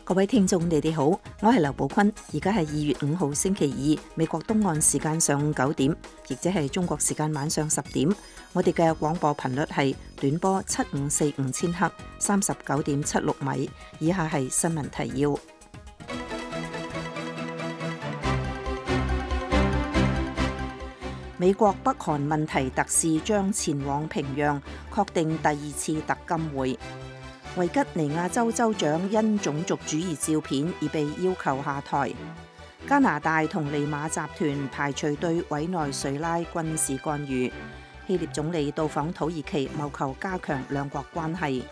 各位聽眾，你哋好，我係劉寶坤，而家係2月5號星期二，美國東岸時間上午9點，亦即係中國時間晚上10點。我哋嘅廣播頻率係短波7545千赫，39.76米。以下係新聞提要。美國北韓問題特使將前往平壤，確定第2次特金會。維吉尼亞州州長因種族主義照片而被要求下台。加拿大同利馬集團排除對委內瑞拉軍事干預。希臘總理到訪土耳其，謀求加強兩國關係。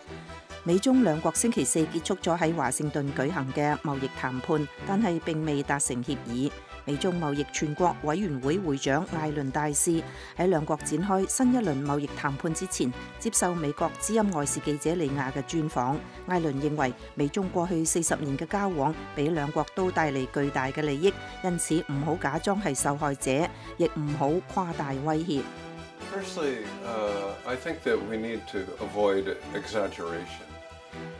美中兩國星期四結束咗喺華盛頓舉行嘅貿易談判，但係並未達成協議。美中貿易全國委員會會長艾倫大使喺兩國展開新一輪貿易談判之前，接受美國之音外事記者利亞嘅專訪。艾倫認為美中過去40年嘅交往俾兩國都帶嚟巨大嘅利益，因此唔好假裝係受害者，亦唔好誇大威脅。Firstly, I think that we need to avoid exaggeration.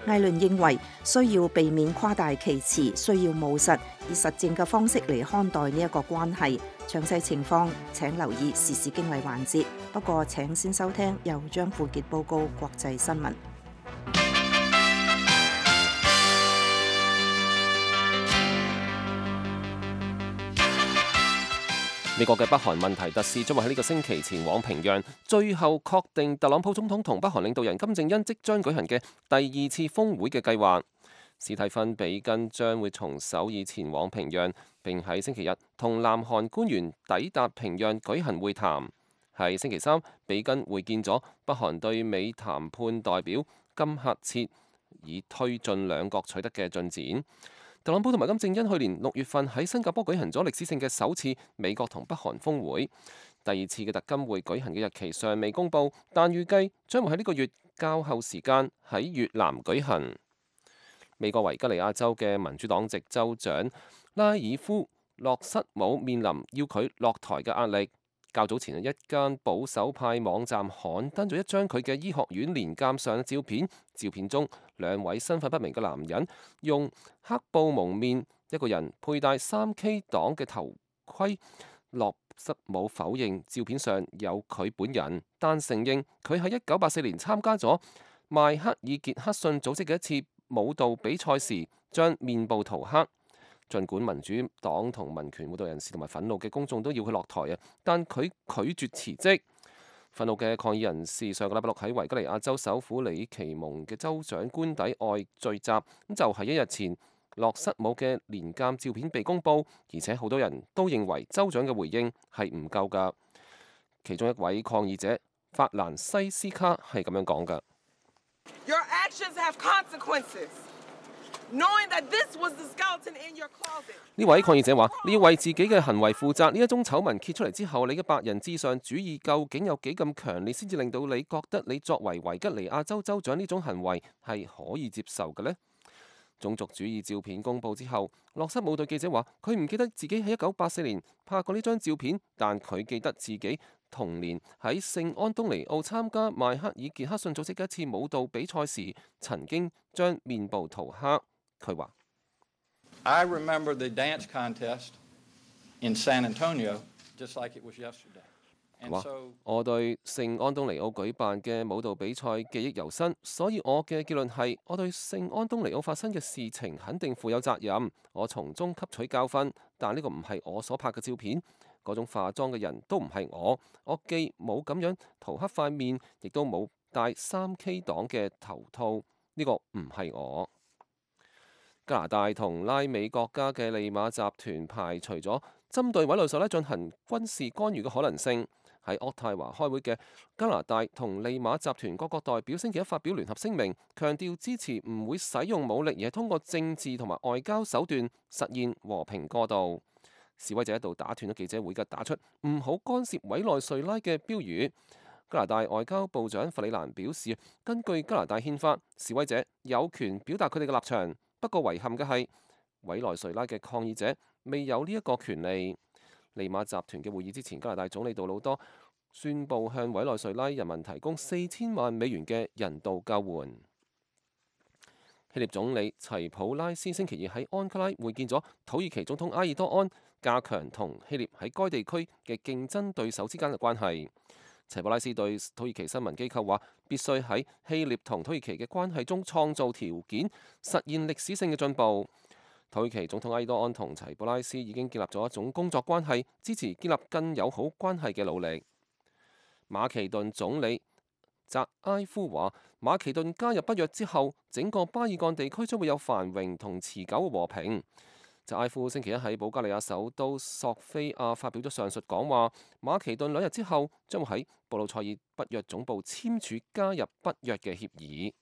艾倫認為需要避免誇大其詞，需要務實以實證嘅方式嚟看待呢一個關係。詳細情況請留意時事經緯環節。不過請先收聽由張富傑報告國際新聞。美國嘅北韓問題特使將會喺呢個星期前往平壤，最後確定特朗普總統同北韓領導人金正恩即將舉行嘅第2次峰會嘅計劃。史蒂芬·比根將會從首爾前往平壤，並喺星期日同南韓官員抵達平壤舉行會談。喺星期三，比根會見咗北韓對美談判代表金赫切，以推進兩國取得嘅進展。特朗普同埋金正恩去年6月份喺新加坡舉行咗歷史性嘅首次美國同北韓峰會，第2次嘅特金會舉行嘅日期尚未公佈，但預計將會喺呢個月較後時間喺越南舉行。美國維吉尼亞州嘅民主黨籍州長拉爾夫·洛瑟姆面臨要佢落台嘅壓力。較早前一間保守派網站刊登咗一張佢嘅醫學院年鑑上嘅照片，照片中2位身份不明嘅男人用黑布蒙面，一個人佩戴3K 黨嘅頭盔。洛瑟姆否認照片上有佢本人，但承認佢喺1984年參加咗邁克爾傑克遜組織嘅一次舞蹈比賽時將面部塗黑。儘管民主黨同民權活動人士同埋憤怒嘅公眾都要佢落台啊，但佢拒絕辭職。憤怒嘅抗議人士上個禮拜六喺維吉尼亞州首府里奇蒙嘅州長官邸外聚集，就係1日前洛瑟姆嘅年鑑照片被公佈，而且好多人都認為州長嘅回應係唔夠㗎。其中一位抗議者法蘭西斯卡係咁樣講㗎。Your actions have consequences. 呢位抗議者話：你要為自己嘅行為負責。呢一宗醜聞揭出嚟之後，你嘅白人至上主義究竟有幾咁強烈，先至令到你覺得你作為維吉尼亞州州長呢種行為係可以接受嘅呢？種族主義照片公佈之後，洛瑟姆對記者話：佢唔記得自己喺1984年拍過呢張照片，但佢記得自己同年喺聖安東尼奧參加邁克爾傑克遜組織嘅一次舞蹈比賽時，曾經將面部塗黑。佢話：I remember the dance contest in San Antonio just like it was yesterday. 我對聖安東尼奧舉辦嘅舞蹈比賽記憶猶新，所以我嘅結論係，我對聖安東尼奧發生嘅事情肯定負有責任。我從中吸取教訓，但呢個唔係我所拍嘅照片，嗰種化妝嘅人都唔係我。我既冇咁樣塗黑塊面，亦都冇戴3K 黨嘅頭套，呢個唔係我。加拿大同拉美國家嘅利馬集團排除咗針對委內瑞拉進行軍事干預嘅可能性。喺渥太華開會嘅加拿大同利馬集團各國代表星期一發表聯合聲明，強調支持唔會使用武力，而係通過政治同埋外交手段實現和平過渡。示威者一度打斷咗記者會嘅打出唔好干涉委內瑞拉嘅標語。加拿大外交部長弗里蘭表示，根據加拿大憲法，示威者有權表達佢哋嘅立場。不過遺憾嘅係，委內瑞拉嘅抗議者未有呢一個權利。利馬集團嘅會議之前，加拿大總理杜魯多宣布向委內瑞拉人民提供4000萬美元嘅人道救援。希臘總理齊普拉斯星期二喺安卡拉會見咗土耳其總統埃爾多安，加強同希臘喺該地區嘅競爭對手之間嘅關係。齊普拉斯對土耳其新聞機構話，必須喺希臘同土耳其嘅關係中創造條件，實現歷史性嘅進步。土耳其總統埃爾多安同齊普拉斯已經建立咗一種工作關係，支持建立更友好關係嘅努力。馬其頓總理扎埃夫話，馬其頓加入北約之後，整個巴爾幹地區將會有繁榮同持久嘅和平。扎埃夫星期一喺保加利亞首都索菲亞發表咗上述講話。馬其頓2日之後將會喺布魯塞爾北約總部簽署加入北約嘅協議。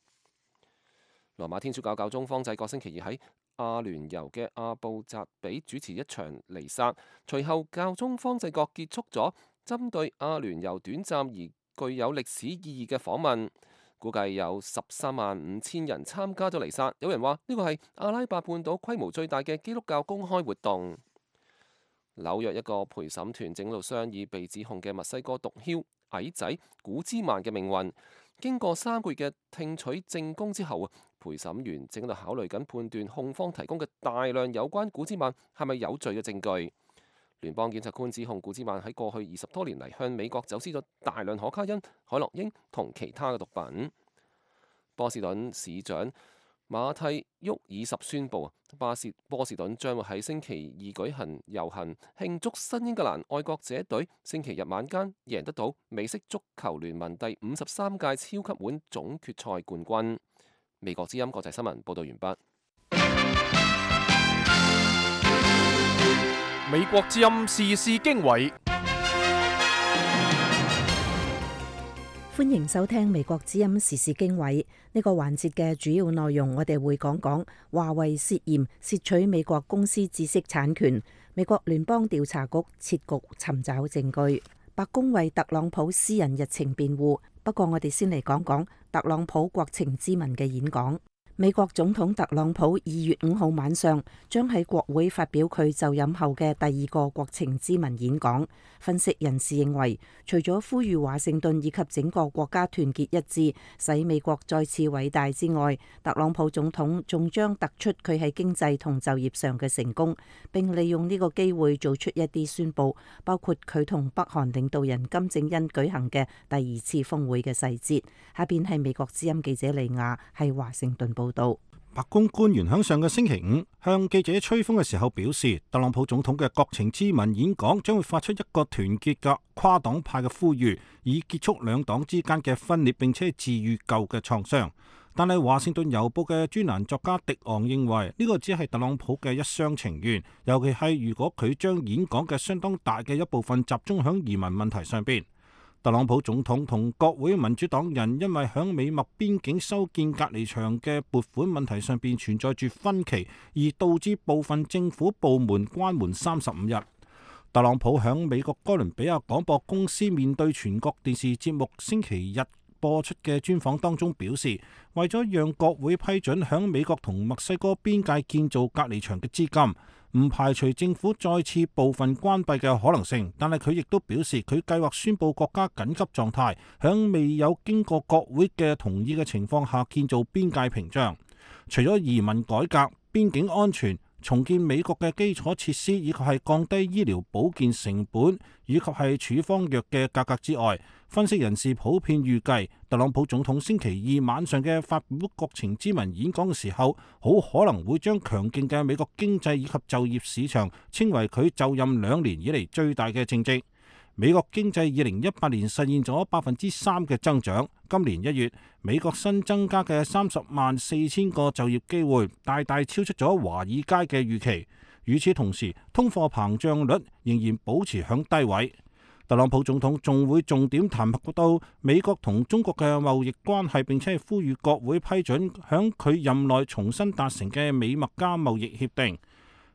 羅馬天主教教宗方濟各星期二喺阿聯酋嘅阿布扎比主持一場彌撒，隨後教宗方濟各結束咗針對阿聯酋短暫而具有歷史意義嘅訪問，估計有135000人參加咗彌撒。有人話呢個係阿拉伯半島規模最大嘅基督教公開活動。紐約一個陪審團正喺度商議被指控嘅墨西哥毒梟矮仔古茲曼嘅命運。經過3個月嘅聽取證供之後，陪審員正喺度考慮緊判斷控方提供嘅大量有關古茲曼係咪有罪嘅證據。聯邦檢察官指控古茲曼喺過去20多年嚟向美國走私咗大量可卡因、海洛因同其他嘅毒品。波士頓市長馬蒂沃爾什宣布，波士頓將會喺星期二舉行遊行，慶祝新英格蘭愛國者隊星期日晚間贏得到美式足球聯盟第53屆超級碗總決賽冠軍。美國之音國際新聞報道完畢。美國之音時事經緯，歡迎收聽美國之音時事經緯。呢個環節嘅主要內容，我哋會講講華為涉嫌竊取美國公司知識產權，美國聯邦調查局設局尋找證據，白宮為特朗普私人日程辯護。不過我哋先嚟講講特朗普國情咨文嘅演講。美國總統特朗普2月5號晚上將喺國會發表佢就任後嘅第2個國情咨文演講。分析人士認為，除咗呼籲華盛頓以及整個國家團結一致，使美國再次偉大之外，特朗普總統仲將突出佢喺經濟同就業上嘅成功，並利用呢個機會做出一啲宣佈，包括佢同北韓領導人金正恩舉行嘅第2次峰會嘅細節。下邊係美國之音記者利亞喺華盛頓報道。白宮官員喺上個星期五向記者吹風嘅時候表示，特朗普總統嘅國情咨文演講將會發出一個團結嘅跨黨派嘅呼籲，以結束兩黨之間嘅分裂，並且治癒舊嘅創傷。但係華盛頓郵報嘅專欄作家迪昂認為呢個只係特朗普嘅一廂情願，尤其係如果佢將演講嘅相當大嘅一部分集中響移民問題上邊。特朗普總統同國會民主黨人因為響美墨邊境修建隔離牆嘅撥款問題上邊存在住分歧，而導致部分政府部門關門35日。特朗普響美國哥倫比亞廣播公司面對全國電視節目星期日播出嘅專訪當中表示，為咗讓國會批准響美國同墨西哥邊界建造隔離牆嘅資金，唔排除政府再次部分關閉嘅可能性，但係佢亦都表示佢計劃宣布國家緊急狀態，響未有經過國會嘅同意嘅情況下建造邊界屏障。除咗移民改革、邊境安全、重建美國嘅基礎設施，以及係降低醫療保健成本，以及係處方藥嘅價格之外，分析人士普遍預計，特朗普總統星期二晚上嘅發表國情咨文演講嘅時候，好可能會將強勁嘅美國經濟以及就業市場稱為佢就任2年以嚟最大嘅政績。美國經濟2018年實現咗3%嘅增長，今年1月美國新增加嘅304000個就業機會，大大超出咗華爾街嘅預期。與此同時，通貨膨脹率仍然保持響低位。特朗普總統仲會重點談及到美國同中國嘅貿易關係，並且係呼籲國會批准響佢任內重新達成嘅美墨加貿易協定。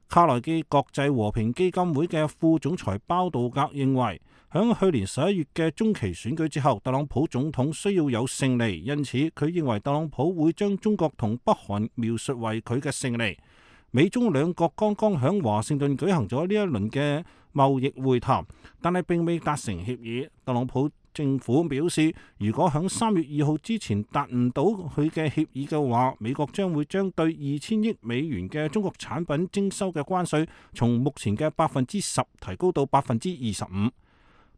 卡內基國際和平基金會嘅副總裁包道格認為，響去年11月嘅中期選舉之後，特朗普總統需要有勝利，因此佢認為特朗普會將中國同北韓描述為佢嘅勝利。美中兩國剛剛響華盛頓舉行咗呢一輪嘅貿易會談，但係並未達成協議。特朗普政府表示，如果響3月2號之前達唔到佢嘅協議嘅話，美國將會將對2000億美元嘅中國產品徵收嘅關稅從目前嘅10%提高到25%。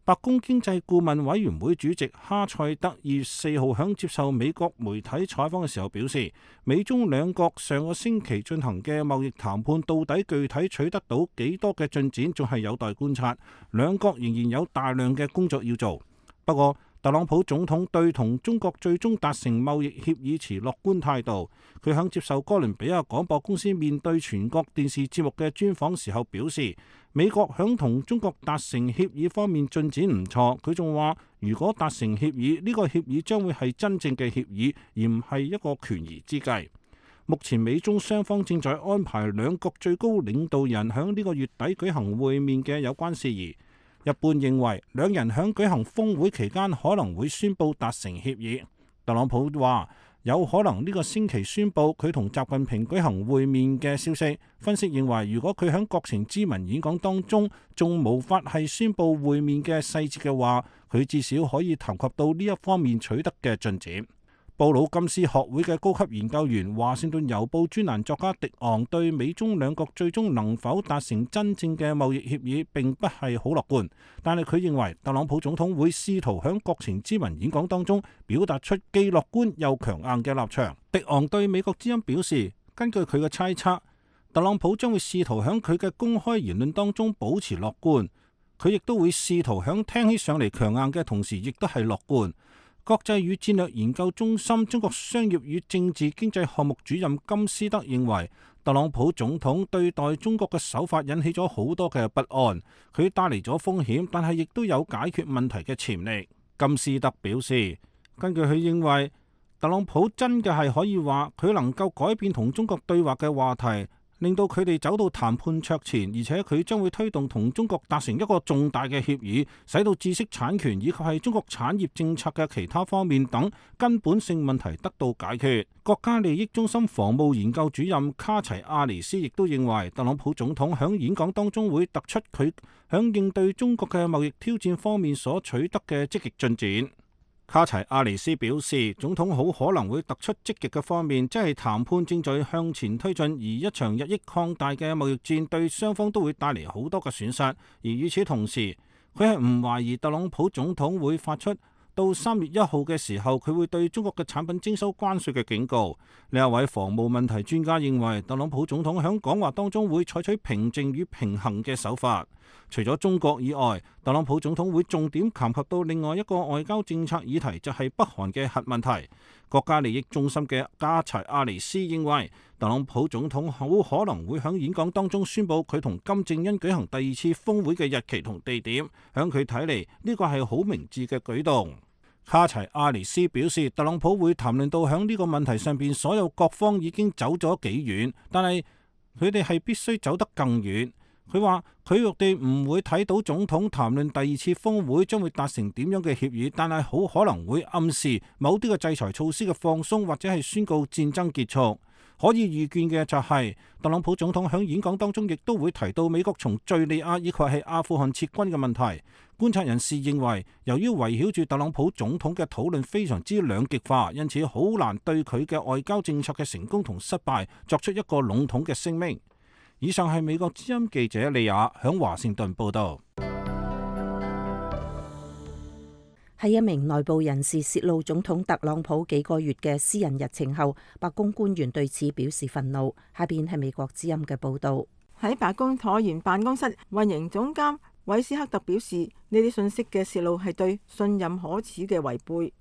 白宮經濟顧問委員會主席哈塞德2月4號響接受美國媒體採訪嘅時候表示，美中兩國上個星期進行嘅貿易談判到底具體取得到幾多嘅進展，仲係有待觀察，兩國仍然有大量嘅工作要做。不過，特朗普總統對同中國最終達成貿易協議持樂觀態度。佢響接受哥倫比亞廣播公司面對全國電視節目嘅專訪時候表示，美國響同中國達成協議方面進展唔錯。佢仲話，如果達成協議，呢個協議將會係真正嘅協議，而唔係一個權宜之計。目前美中雙方正在安排兩國最高領導人響呢個月底舉行會面嘅有關事宜。一般認為，兩人響舉行峰會期間可能會宣布達成協議。特朗普話有可能呢個星期宣布佢同習近平舉行會面嘅消息。分析認為，如果佢響國情咨文演講當中仲無法係宣布會面嘅細節嘅話，佢至少可以談及到呢一方面取得嘅進展。布魯金斯學會嘅高級研究員、華盛頓郵報專欄作家迪昂對美中兩國最終能否達成真正嘅貿易協議並不係好樂觀，但係佢認為特朗普總統會試圖響國情咨文演講當中表達出既樂觀又強硬嘅立場。迪昂對美國之音表示，根據佢嘅猜測，特朗普將會試圖響佢嘅公開言論當中保持樂觀，佢亦都會試圖響聽起上嚟強硬嘅同時亦都係樂觀。國際與戰略研究中心中國商業與政治經濟項目主任金斯德認為，特朗普總統對待中國嘅手法引起咗好多嘅不安，佢帶嚟咗風險，但係亦都有解決問題嘅潛力。金斯德表示，根據佢認為，特朗普真嘅係可以話佢能夠改變同中國對話嘅話題，令到佢哋走到談判桌前，而且佢將會推動同中國達成一個重大嘅協議，使到知識產權以及係中國產業政策嘅其他方面等根本性問題得到解決。國家利益中心防務研究主任卡齊亞尼斯亦都認為，特朗普總統響演講當中會突出佢響應對中國嘅貿易挑戰方面所取得嘅積極進展。卡齊亞尼斯表示，總統好可能會突出積極嘅方面，即係談判正在向前推進，而一場日益擴大嘅貿易戰對雙方都會帶嚟好多嘅損失。而與此同時，佢係唔懷疑特朗普總統會發出到3月1號嘅時候，佢會對中國嘅產品徵收關稅嘅警告。另一位防務問題專家認為，特朗普總統喺講話當中會採取平靜與平衡嘅手法。除咗中國以外，特朗普總統會重點談及到另外一個外交政策議題，就係北韓嘅核問題。國家利益中心嘅加齊亞尼斯認為，特朗普總統好可能會喺演講當中宣布佢同金正恩舉行第2次峰會嘅日期同地點。喺佢睇嚟，呢個係好明智嘅舉動。卡齊亞尼斯表示，特朗普會談論到喺呢個問題上邊，所有各方已經走咗幾遠，但係佢哋係必須走得更遠。佢話佢哋唔會睇到總統談論第2次峰會將會達成點樣嘅協議，但係好可能會暗示某啲嘅制裁措施嘅放鬆，或者係宣告戰爭結束。可以預見嘅就係，特朗普總統喺演講當中亦都會提到美國從敘利亞以及係阿富汗撤軍嘅問題。觀察人士認為，由於圍繞住特朗普總統嘅討論非常之兩極化，因此好難對佢嘅外交政策嘅成功同失敗作出一個籠統嘅聲明。以上係美國之音記者利亞響華盛頓報道。喺一名內部人士泄露總統特朗普幾個月嘅私人日程後，白宮官員對此表示憤怒。下邊係美國之音嘅報道。喺白宮橢圓辦公室，運營總監韋斯克特表示，呢啲信息嘅泄露係對信任可恥嘅違背。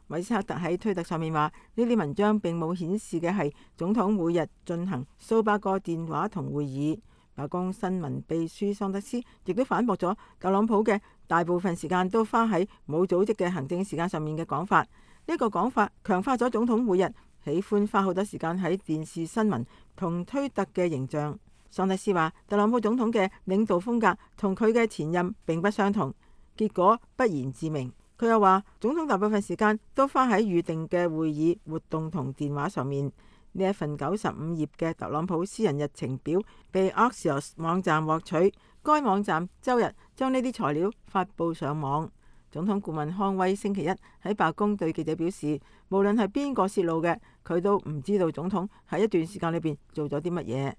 韋斯克特喺推特上面話，呢啲文章並冇顯示嘅係總統每日進行數百個電話同會議。白宮新聞秘書桑德斯亦都反駁咗特朗普嘅大部分時間都花喺冇組織嘅行政時間上面嘅講法。呢個講法強化咗總統每日喜歡花好多時間喺電視新聞同推特嘅形象。桑德斯話，特朗普總統嘅領導風格同佢嘅前任並不相同，結果不言自明。佢又話，總統大部分時間都花喺預定嘅會議活動同電話上面。呢一份95頁嘅特朗普私人日程表被 Axios 網站獲取，該網站周日將呢啲材料發布上網。總統顧問康威星期一喺白宮對記者表示，無論係邊個泄露嘅，佢都唔知道總統喺一段時間裏邊做咗啲乜嘢。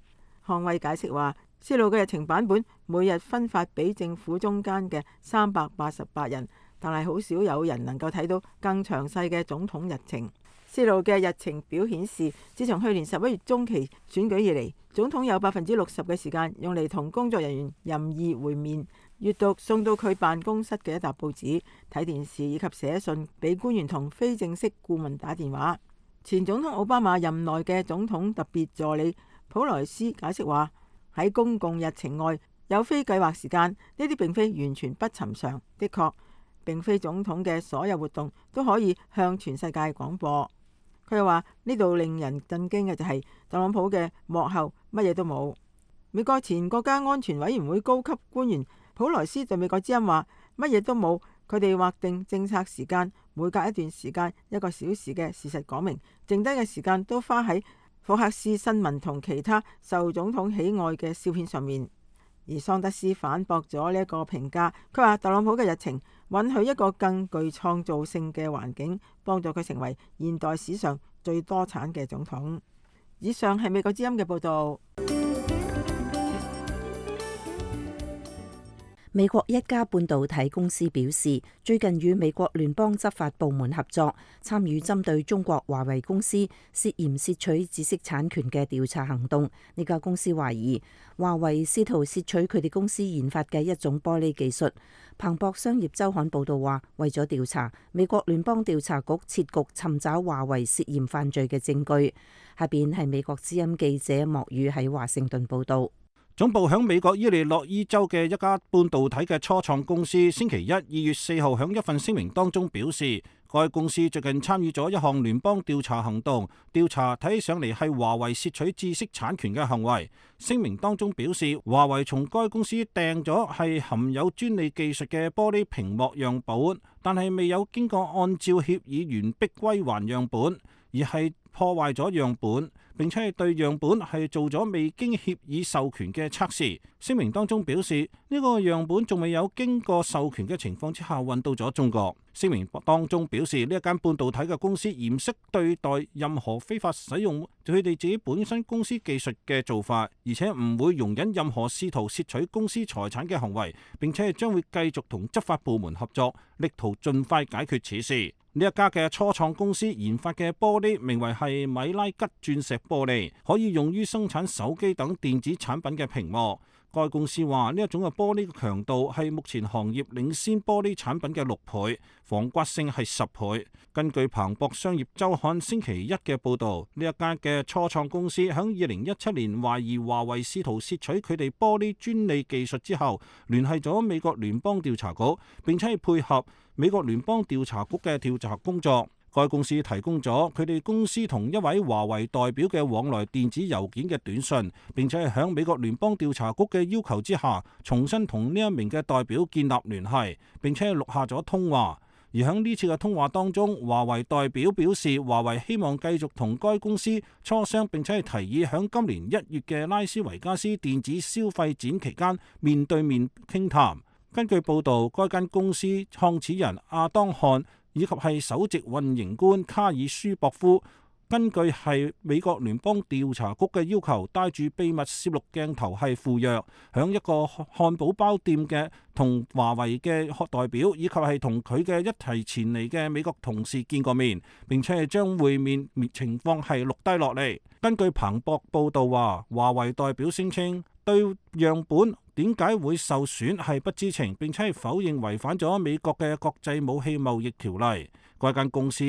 康威解釋話，泄露嘅日程版本每日分發俾政府中間嘅388人，但係好少有人能夠睇到更詳細嘅總統日程。泄露嘅日程表顯示，自從去年11月中期選舉以嚟，總統有60%嘅時間用嚟同工作人員任意會面、閱讀送到佢辦公室嘅一沓報紙、睇電視以及寫信俾官員同非正式顧問打電話。前總統奧巴馬任內嘅總統特別助理普萊斯解釋話，喺公共日程外有非計劃時間，呢啲並非完全不尋常。的確，並非總統嘅所有活動都可以向全世界廣播。佢又話，呢度令人震驚嘅就係特朗普嘅幕後乜嘢都冇。美國前國家安全委員會高級官員普萊斯對美國之音話，乜嘢都冇，佢哋劃定政策時間，每隔一段時間1個小時嘅事實講明，剩低嘅時間都花喺福克斯新聞同其他受總統喜愛嘅笑片上面。而桑德斯反駁咗呢一個評價，佢話特朗普嘅日程允許一個更具創造性嘅環境，幫助佢成為現代史上最多產嘅總統。以上係美國之音嘅報導。美國一家半導體公司表示，最近與美國聯邦執法部門合作，參與針對中國華為公司涉嫌竊取知識產權嘅調查行動。呢家公司懷疑華為試圖竊取佢哋公司研發嘅一種玻璃技術。彭博商業週刊報導話，為咗調查，美國聯邦調查局設局尋找華為涉嫌犯罪嘅證據。下邊係美國之音記者莫宇喺華盛頓報導。總部響美國伊利諾伊州嘅一家半導體嘅初創公司，星期一2月4號響一份聲明當中表示，該公司最近參與咗一項聯邦調查行動，調查睇起上嚟係華為竊取知識產權嘅行為。聲明當中表示，華為從該公司訂咗係含有專利技術嘅玻璃屏幕樣本，但係未有經過按照協議完畢歸還樣本，而係破壞咗樣本，並且係對樣本係做咗未經協議授權嘅測試。聲明當中表示，呢個樣本仲未有經過授權嘅情況之下運到咗中國。聲明當中表示，呢一間半導體嘅公司嚴肅對待任何非法使用佢哋自己本身公司技術嘅做法，而且唔會容忍任何試圖竊取公司財產嘅行為，並且係將會繼續同執法部門合作，力圖盡快解決此事。呢一家嘅初創公司研發嘅玻璃名為係米拉吉鑽石玻璃，可以用於生產手機等電子產品嘅屏幕。該公司話，呢一種嘅玻璃嘅強度係目前行業領先玻璃產品嘅6倍，防刮性係10倍。根據彭博商業週刊星期一嘅報導，呢一間嘅初創公司喺2017年懷疑華為試圖竊取佢哋玻璃專利技術之後，聯繫咗美國聯邦調查局，並且係配合美國聯邦調查局嘅調查工作。該公司提供咗佢哋公司同一位華為代表嘅往來電子郵件嘅短信，並且係響美國聯邦調查局嘅要求之下，重新同呢一名嘅代表建立聯繫，並且係錄下咗通話。而喺呢次嘅通話當中，華為代表表示，華為希望繼續同該公司磋商，並且係提議響今年1月嘅拉斯維加斯電子消費展期間面對面傾談。根據報導，該間公司創始人阿當漢以及係首席運營官卡爾舒博夫，根據係美國聯邦調查局嘅要求，帶住秘密攝錄鏡頭係赴約，響一個漢堡包店嘅同華為嘅代表以及係同佢嘅一齊前嚟嘅美國同事見過面，並且係將會面情況係錄低落嚟。根據彭博報導話，華為代表聲稱對樣本點解會受損係不知情，並且係否認違反咗美國嘅國際武器貿易條例。該間公司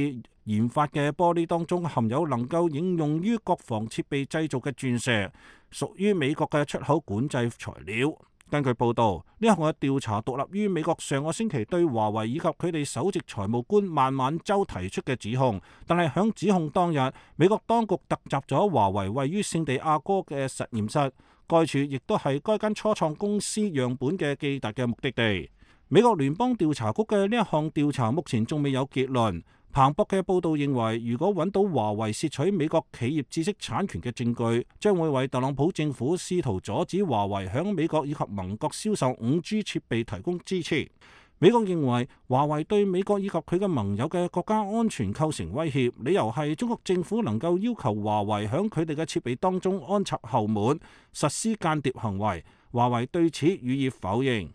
研發嘅玻璃當中含有能夠應用於國防設備製造嘅鑽石，屬於美國嘅出口管制材料。根據報導，呢項嘅調查獨立於美國上個星期對華為以及佢哋首席財務官孟晚舟提出嘅指控，但係響指控當日，美國當局突襲咗華為位於聖地亞哥嘅實驗室，該處亦都係該間初創公司樣本嘅寄達嘅目的地。美國聯邦調查局嘅呢一項調查目前仲未有結論。彭博嘅報導認為，如果揾到華為竊取美國企業知識產權嘅證據，將會為特朗普政府試圖阻止華為響美國以及盟國銷售5G 設備提供支持。美國認為華為對美國以及佢嘅盟友嘅國家安全構成威脅，理由係中國政府能夠要求華為響佢哋嘅設備當中安插後門，實施間諜行為。華為對此予以否認。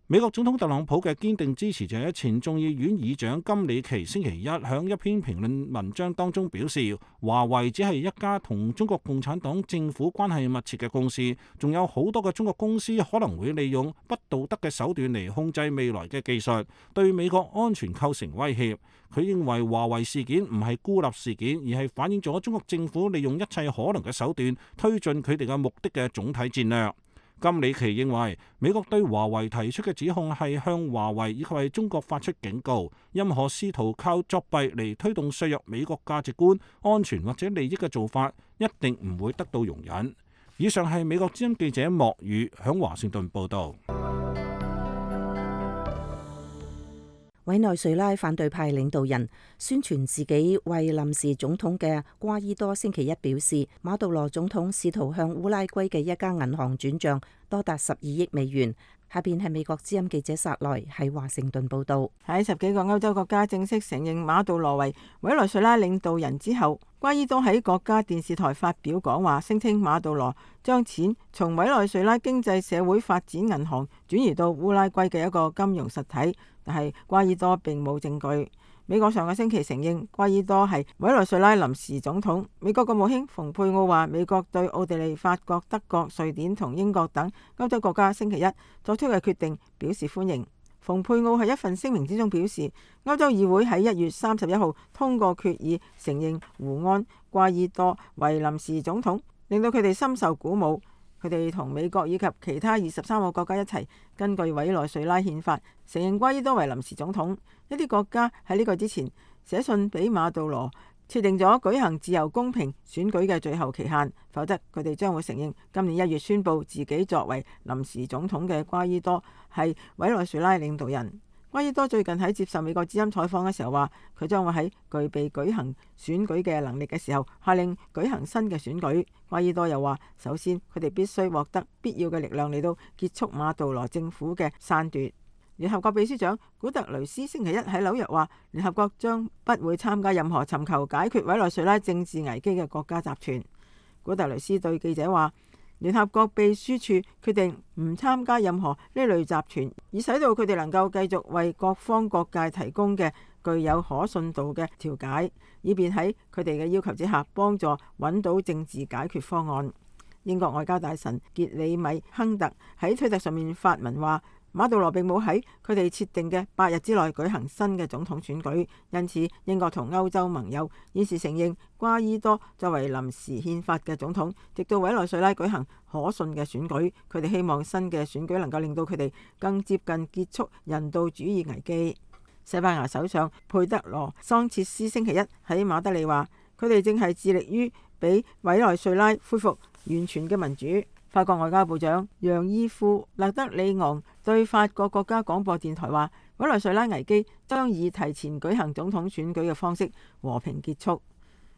美國總統特朗普嘅堅定支持者前眾議院議長金里奇星期一響一篇評論文章當中表示，華為只係一家同中國共產黨政府關係密切嘅公司，仲有好多嘅中國公司可能會利用不道德嘅手段嚟控制未來嘅技術，對美國安全構成威脅。佢認為華為事件唔係孤立事件，而係反映咗中國政府利用一切可能嘅手段推進佢哋嘅目的嘅總體戰略。金里奇認為，美國對華為提出嘅指控係向華為以及係中國發出警告，任何試圖靠作弊嚟推動削弱美國價值觀、安全或者利益嘅做法，一定唔會得到容忍。以上係美國之音記者莫宇響華盛頓報道。委內瑞拉反對派領導人宣傳自己為臨時總統嘅瓜伊多星期一表示，馬杜羅總統試圖向烏拉圭嘅一家銀行轉賬多達12億美元。下邊係美國之音記者薩萊喺華盛頓報道。喺10幾個歐洲國家正式承認馬杜羅為委內瑞拉領導人之後，瓜伊多喺國家電視台發表講話，聲稱馬杜羅將錢從委內瑞拉經濟社會發展銀行轉移到烏拉圭嘅一個金融實體，但係瓜伊多並冇證據。美國上個星期承認瓜伊多係委內瑞拉臨時總統。美國國務卿蓬佩奧話，美國對奧地利、法國、德國、瑞典同英國等歐洲國家星期一作出嘅決定表示歡迎。蓬佩奧喺一份聲明之中表示，歐洲議會喺1月31號通過決議，承認胡安·瓜伊多為臨時總統，令到佢哋深受鼓舞。佢哋同美國以及其他23個國家一齊，根據委內瑞拉憲法承認瓜伊多為臨時總統。一啲國家喺呢個之前寫信俾馬杜羅，設定咗舉行自由公平選舉嘅最後期限，否則佢哋將會承認今年1月宣布自己作為臨時總統嘅瓜伊多係委內瑞拉領導人。瓜伊多最近喺接受美國之音採訪嘅時候話，佢將會喺具備舉行選舉嘅能力嘅時候，下令舉行新嘅選舉。瓜伊多又話，首先佢哋必須獲得必要嘅力量嚟到結束馬杜羅政府嘅篡奪。聯合國秘書長古特雷斯星期一喺紐約話，聯合國將不會參加任何尋求解決委內瑞拉政治危機嘅國家集團。古特雷斯對記者話，聯合國秘書處決定唔參加任何呢類集團，以使到佢哋能夠繼續為各方各界提供嘅具有可信度嘅調解，以便喺佢哋嘅要求之下幫助揾到政治解決方案。英國外交大臣傑里米亨特喺推特上面發文話，馬杜羅並冇喺佢哋設定嘅8日之內舉行新嘅總統選舉，因此英國同歐洲盟友現時承認瓜伊多作為臨時憲法嘅總統，直到委內瑞拉舉行可信嘅選舉。佢哋希望新嘅選舉能夠令到佢哋更接近結束人道主義危機。西班牙首相佩德羅桑切斯星期一喺馬德里話，佢哋正係致力於俾委內瑞拉恢復完全嘅民主。法國外交部長楊伊夫勒德里昂對法國國家廣播電台話，委內瑞拉危機將以提前舉行總統選舉嘅方式和平結束。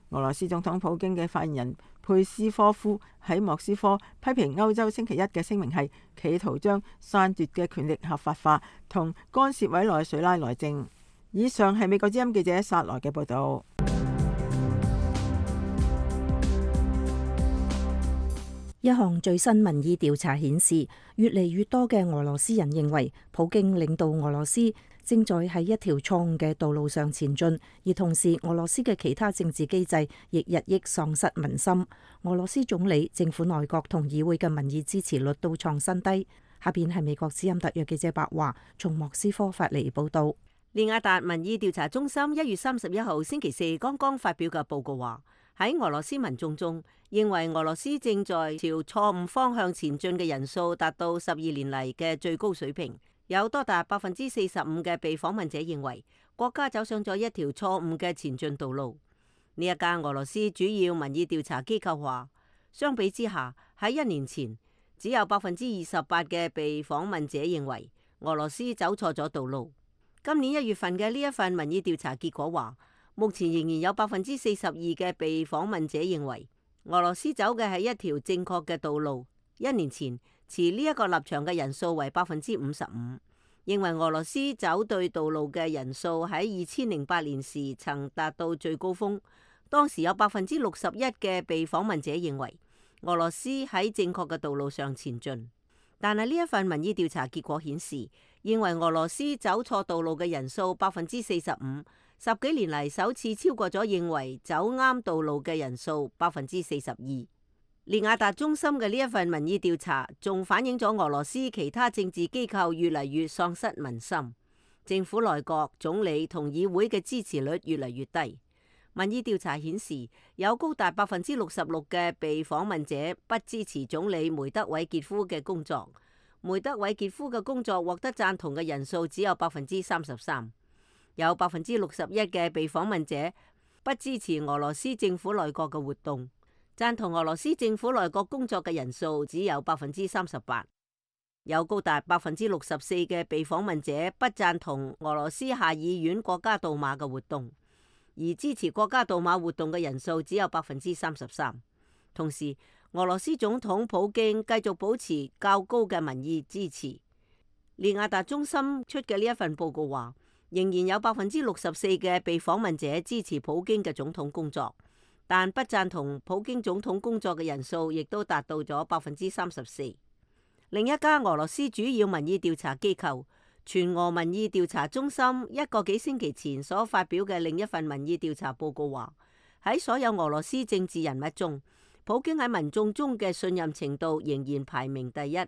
俄羅斯總統普京嘅發言人佩斯科夫喺莫斯科批評歐洲星期一嘅聲明係企圖將篡奪嘅權力合法化同干涉委內瑞拉內政。以上係美國之音記者薩萊嘅報道。一項最新民意調查顯示，越嚟越多嘅俄羅斯人認為普京領導俄羅斯正在喺一條錯誤嘅道路上前進，而同時俄羅斯嘅其他政治機制亦日益喪失民心。俄羅斯總理、政府內閣同議會嘅民意支持率都創新低。下邊係美國之音特約記者白華從莫斯科發嚟報道。利雅達民意調查中心1月31號星期四剛剛發表嘅報告話，喺俄羅斯民眾中，認為俄羅斯正在朝錯誤方向前進嘅人數達到12年嚟嘅最高水平，有多達45%嘅被訪問者認為國家走上咗一條錯誤嘅前進道路。呢一間俄羅斯主要民意調查機構話，相比之下，喺1年前只有28%嘅被訪問者認為俄羅斯走錯咗道路。今年1月份嘅呢一份民意調查結果話，目前仍然有42%嘅被訪問者認為俄羅斯走嘅係一條正確嘅道路。1年前持呢一個立場嘅人數為55%，認為俄羅斯走對道路嘅人數喺2008年時曾達到最高峰。當時有61%嘅被訪問者認為俄羅斯喺正確嘅道路上前進。但係呢一份民意調查結果顯示，認為俄羅斯走錯道路嘅人數45%，10幾年嚟首次超過咗認為走啱道路嘅人數42%。利雅達中心嘅呢一份民意調查仲反映咗俄羅斯其他政治機構越嚟越喪失民心，政府內閣、總理同議會嘅支持率越嚟越低。民意調查顯示，有高達66%嘅被訪問者不支持總理梅德韋傑夫嘅工作。梅德韋傑夫嘅工作獲得贊同嘅人數只有33%。有61%嘅被訪問者不支持俄羅斯政府內閣嘅活動。贊同俄羅斯政府內閣工作嘅人數只有38%，有高達64%嘅被訪問者不贊同俄羅斯下議院國家杜馬嘅活動，而支持國家杜馬活動嘅人數只有33%。同時，俄羅斯總統普京繼續保持較高嘅民意支持。利雅達中心出嘅呢一份報告話，仍然有64%嘅被訪問者支持普京嘅總統工作。但不贊同普京總統工作嘅人數亦都達到咗34%。另一家俄羅斯主要民意調查機構全俄民意調查中心一個幾星期前所發表嘅另一份民意調查報告話，喺所有俄羅斯政治人物中，普京喺民眾中嘅信任程度仍然排名第一，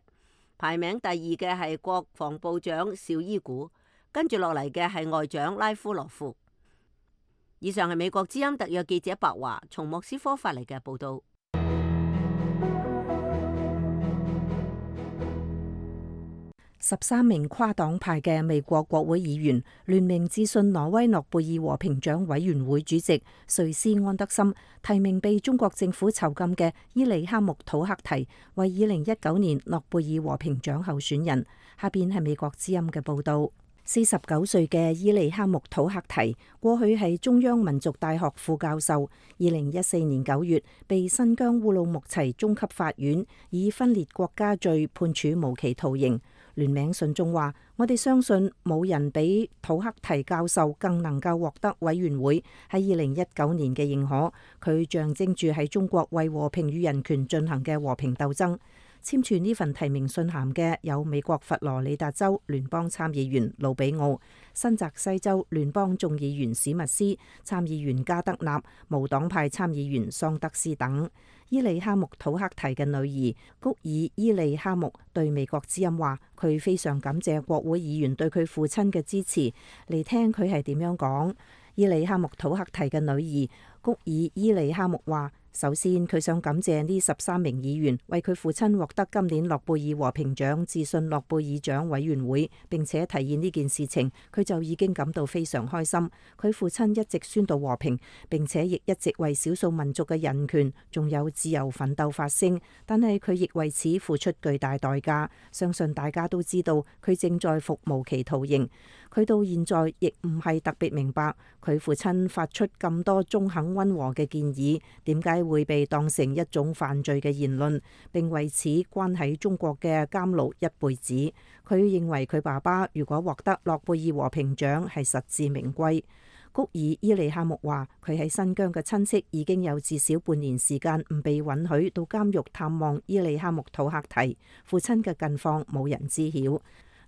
排名第二嘅係國防部長紹伊古，跟住落嚟嘅係外長拉夫羅夫。以上係美國之音特約記者白華從莫斯科發嚟嘅報道。13名跨黨派嘅美國國會議員聯名致信挪威諾貝爾和平獎委員會主席瑞斯安德森，提名被中國政府囚禁嘅伊利哈木土克提為2019年諾貝爾和平獎候選人。下邊係美國之音嘅報道。49歲嘅伊利哈木土克提過去係中央民族大學副教授，2014年9月被新疆烏魯木齊中級法院以分裂國家罪判處無期徒刑。聯名信中話：我哋相信冇人比土克提教授更能夠獲得委員會喺2019年嘅認可，佢象徵住喺中國為和平與人權進行嘅和平鬥爭。簽署呢份提名信函嘅有美國佛羅里達州聯邦參議員魯比奧、新澤西州聯邦眾議員史密斯、參議員加德納、無黨派參議員桑德斯等。伊利哈木土克提嘅女兒谷爾伊利哈木對美國之音話：佢非常感謝國會議員對佢父親嘅支持。嚟聽佢係點樣講。伊利哈木土克提嘅女兒谷爾伊利哈木話：首先，佢想感謝呢13名議員為佢父親獲得今年諾貝爾和平獎致信諾貝爾獎委員會，並且提議呢件事情，佢就已經感到非常開心。佢父親一直宣導和平，並且亦一直為少數民族嘅人權仲有自由奮鬥發聲，但係佢亦為此付出巨大代價。相信大家都知道，佢正在服無期徒刑。佢到現在亦唔係特別明白，佢父親發出咁多中肯溫和嘅建議，點解會被當成一種犯罪嘅言論，並為此關喺中國嘅監牢一輩子。佢認為佢爸爸如果獲得諾貝爾和平獎係實至名歸。谷爾伊利哈木話：佢喺新疆嘅親戚已經有至少半年時間唔被允許到監獄探望伊利哈木土克提，父親嘅近況冇人知曉。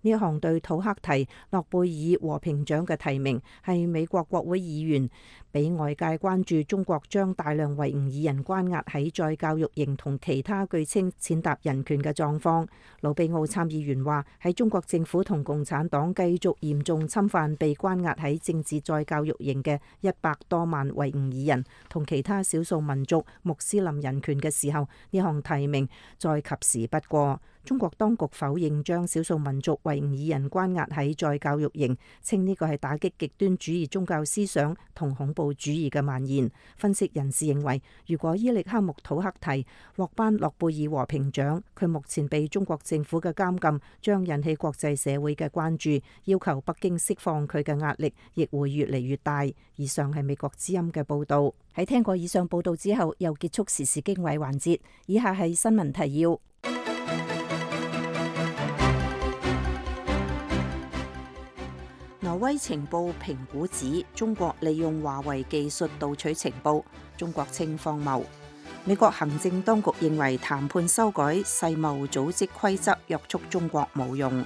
呢一項對土克提諾貝爾和平獎嘅提名係美國國會議員俾外界關注中國將大量維吾爾人關押喺再教育營同其他據稱踐踏人權嘅狀況。魯比奧參議員話：喺中國政府同共產黨繼續嚴重侵犯被關押喺政治再教育營嘅100多萬維吾爾人同其他少數民族穆斯林人權嘅時候，呢項提名再及時不過。中國當局否認將少數民族維吾爾人關押喺再教育營，稱呢個係打擊極端主義宗教思想同恐怖主義嘅蔓延。分析人士認為，如果伊利哈木土克提獲頒諾貝爾和平獎，佢目前被中國政府嘅監禁將引起國際社會嘅關注，要求北京釋放佢嘅壓力亦會越嚟越大。以上係美國之音嘅報導。喺聽過以上報導之後，又結束時事經緯環節。以下係新聞提要。威情報評估指中國利用華為技術盜取情報，中國稱荒謬。美國行政當局認為談判修改世貿組織規則約束中國冇用。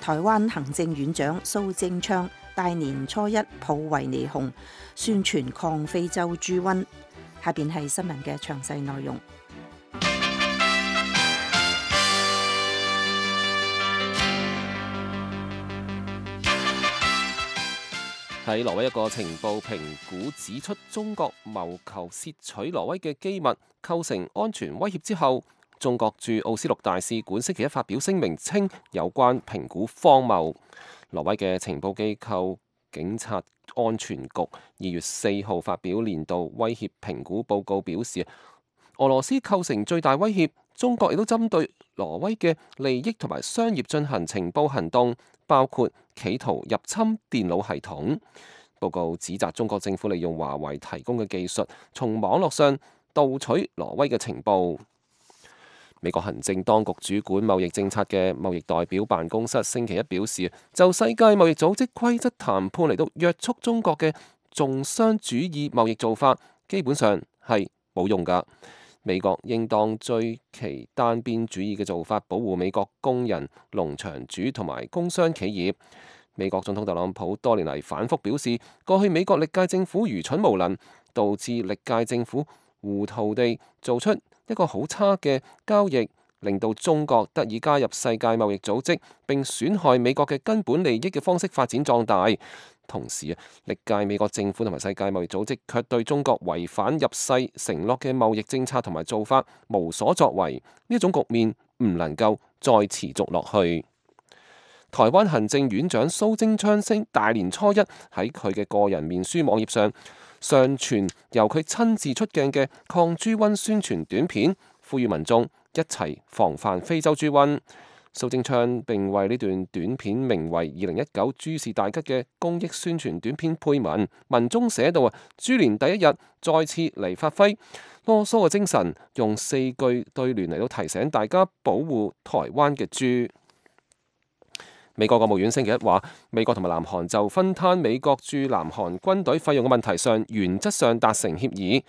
台灣行政院長蘇貞昌大年初一抱維尼熊宣傳抗非洲豬瘟。下邊係新聞嘅詳細內容。喺挪威一個情報評估指出，中國謀求竊取挪威嘅機密構成安全威脅之後，中國駐奧斯陸大使館星期一發表聲明稱有關評估荒謬。挪威嘅情報機構警察安全局2月4號發表年度威脅評估報告，表示俄羅斯構成最大威脅，中國亦都針對挪威嘅利益同埋商業進行情報行動，包括企圖入侵電腦系統。報告指責中國政府利用華為提供嘅技術，從網絡上盜取挪威嘅情報。美國行政當局主管貿易政策嘅貿易代表辦公室星期一表示，就世界貿易組織規則談判嚟到約束中國嘅重商主義貿易做法，基本上係冇用㗎。美國應當追其單邊主義嘅做法，保護美國工人、農場主同埋工商企業。美國總統特朗普多年嚟反覆表示，過去美國歷屆政府愚蠢無能，導致歷屆政府糊塗地做出一個好差嘅交易，令到中國得以加入世界貿易組織，並損害美國嘅根本利益嘅方式發展壯大。同時歷屆美國政府同埋世界貿易組織卻對中國違反入世承諾嘅貿易政策同埋做法無所作為，呢一種局面唔能夠再持續落去。台灣行政院長蘇貞昌星大年初一喺佢嘅個人面書網頁上上傳由佢親自出鏡嘅抗豬瘟宣傳短片，呼籲民眾一齊防範非洲豬瘟。蘇貞昌並為呢段短片名為2019豬事大吉嘅公益宣傳短片配文，文中寫到豬年第一日再次嚟發揮囉嗦嘅精神，用4句對聯嚟到提醒大家保護台灣嘅豬。美國國務院星期一話，美國同埋南韓就分攤美國駐南韓軍隊費用嘅問題上，原則上達成協議。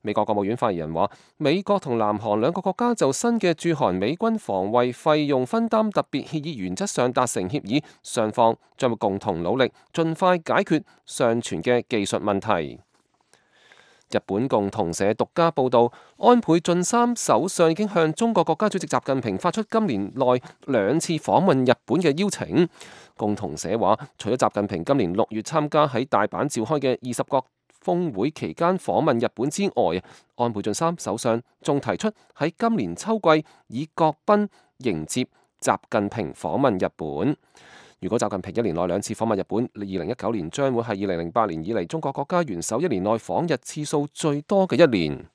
美國國務院發言人話，美國同南韓兩個國家就新嘅駐韓美軍防衛費用分擔特別協議原則上達成協議，雙方將會共同努力，盡快解決尚存嘅技術問題。日本共同社獨家報道，安倍晉三首相已經向中國國家主席習近平發出今年內2次訪問日本嘅邀請。共同社話，除咗習近平今年6月參加喺大阪召開嘅20國峰會期間訪問日本之外，安倍晉三首相仲提出喺今年秋季以國賓迎接習近平訪問日本。如果習近平1年內2次訪問日本，2019年將會係2008年以嚟中國國家元首1年內訪日次數最多嘅一年。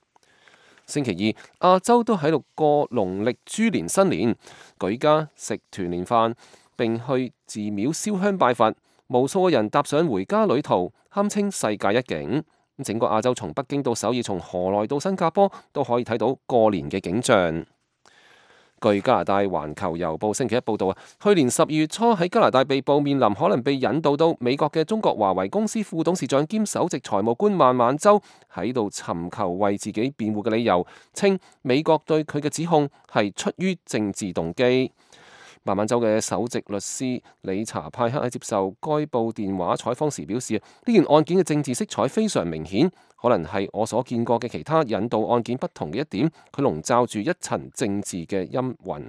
星期二，亞洲都喺度過農曆豬年新年，舉家食團年飯並去寺廟燒香拜佛，無數嘅人踏上回家旅途，堪稱世界一景。整個亞洲從北京到首爾，從河內到新加坡，都可以睇到過年嘅景象。據加拿大環球郵報星期一報道，去年12月初喺加拿大被捕，面臨可能被引渡到美國嘅中國華為公司副董事長兼首席財務官孟晚舟喺度尋求為自己辯護嘅理由，稱美國對佢嘅指控係出於政治動機。孟晚舟嘅首席律師理查派克喺接受該報電話採訪時表示，呢件案件嘅政治色彩非常明顯，可能係我所見過嘅其他引渡案件不同嘅一點，佢籠罩住一層政治嘅陰雲。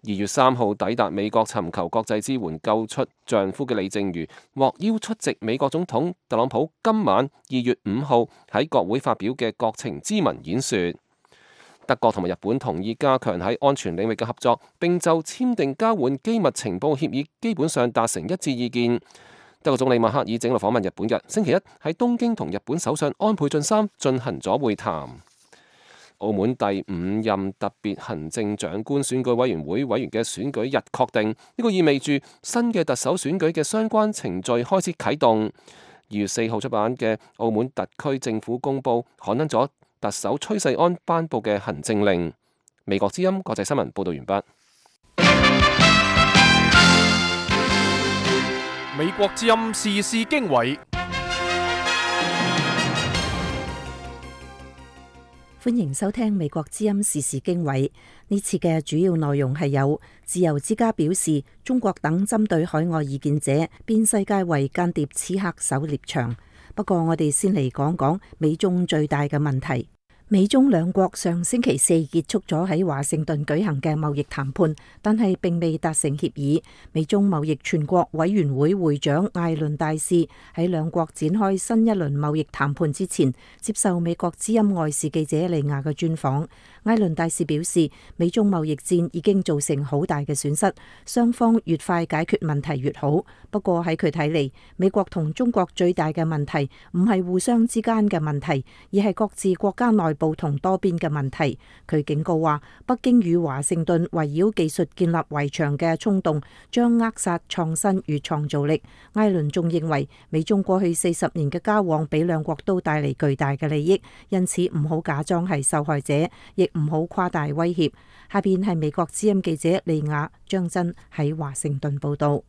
2月3號抵達美國尋求國際支援救出丈夫嘅李淨瑜獲邀出席美國總統特朗普今晚2月5號喺國會發表嘅國情咨文演說。德國同埋日本同意加強喺安全領域嘅合作，並就簽訂交換機密情報協議基本上達成一致意見。德國總理默克爾整路訪問日本日，星期一喺東京同日本首相安倍晉三進行咗會談。澳門第5任特別行政長官選舉委員會委員嘅選舉日確定，呢個意味住新嘅特首選舉嘅相關程序開始啟動。2月4號出版嘅澳門特區政府公佈刊登咗特首崔世安頒布嘅行政令。美國之音國際新聞報道完畢。美國之音時事經緯，歡迎收聽美國之音時事經緯。呢次嘅主要內容係有自由之家表示，中國等針對海外異見者變世界為間諜刺客狩獵場。不過我哋先嚟講講美中最大嘅問題。美中兩國上星期四結束咗喺華盛頓舉行嘅貿易談判，但係並未達成協議。美中貿易全國委員會會長艾倫大使喺兩國展開新一輪貿易談判之前，接受美國之音外事記者利亞嘅專訪。艾倫大使表示，美中貿易戰已經造成好大嘅損失，雙方越快解決問題越好。不過喺佢睇嚟，美國同中國最大嘅問題唔係互相之間嘅問題，而係各自國家內部同多邊嘅問題。佢警告話，北京與華盛頓圍繞技術建立圍牆嘅衝動將扼殺創新與創造力。艾倫仲認為，美中過去40年嘅交往俾兩國都帶嚟巨大嘅利益，因此唔好假裝係受害者，亦唔好誇大威脅。下邊係美國之音記者利亞張真喺華盛頓報道。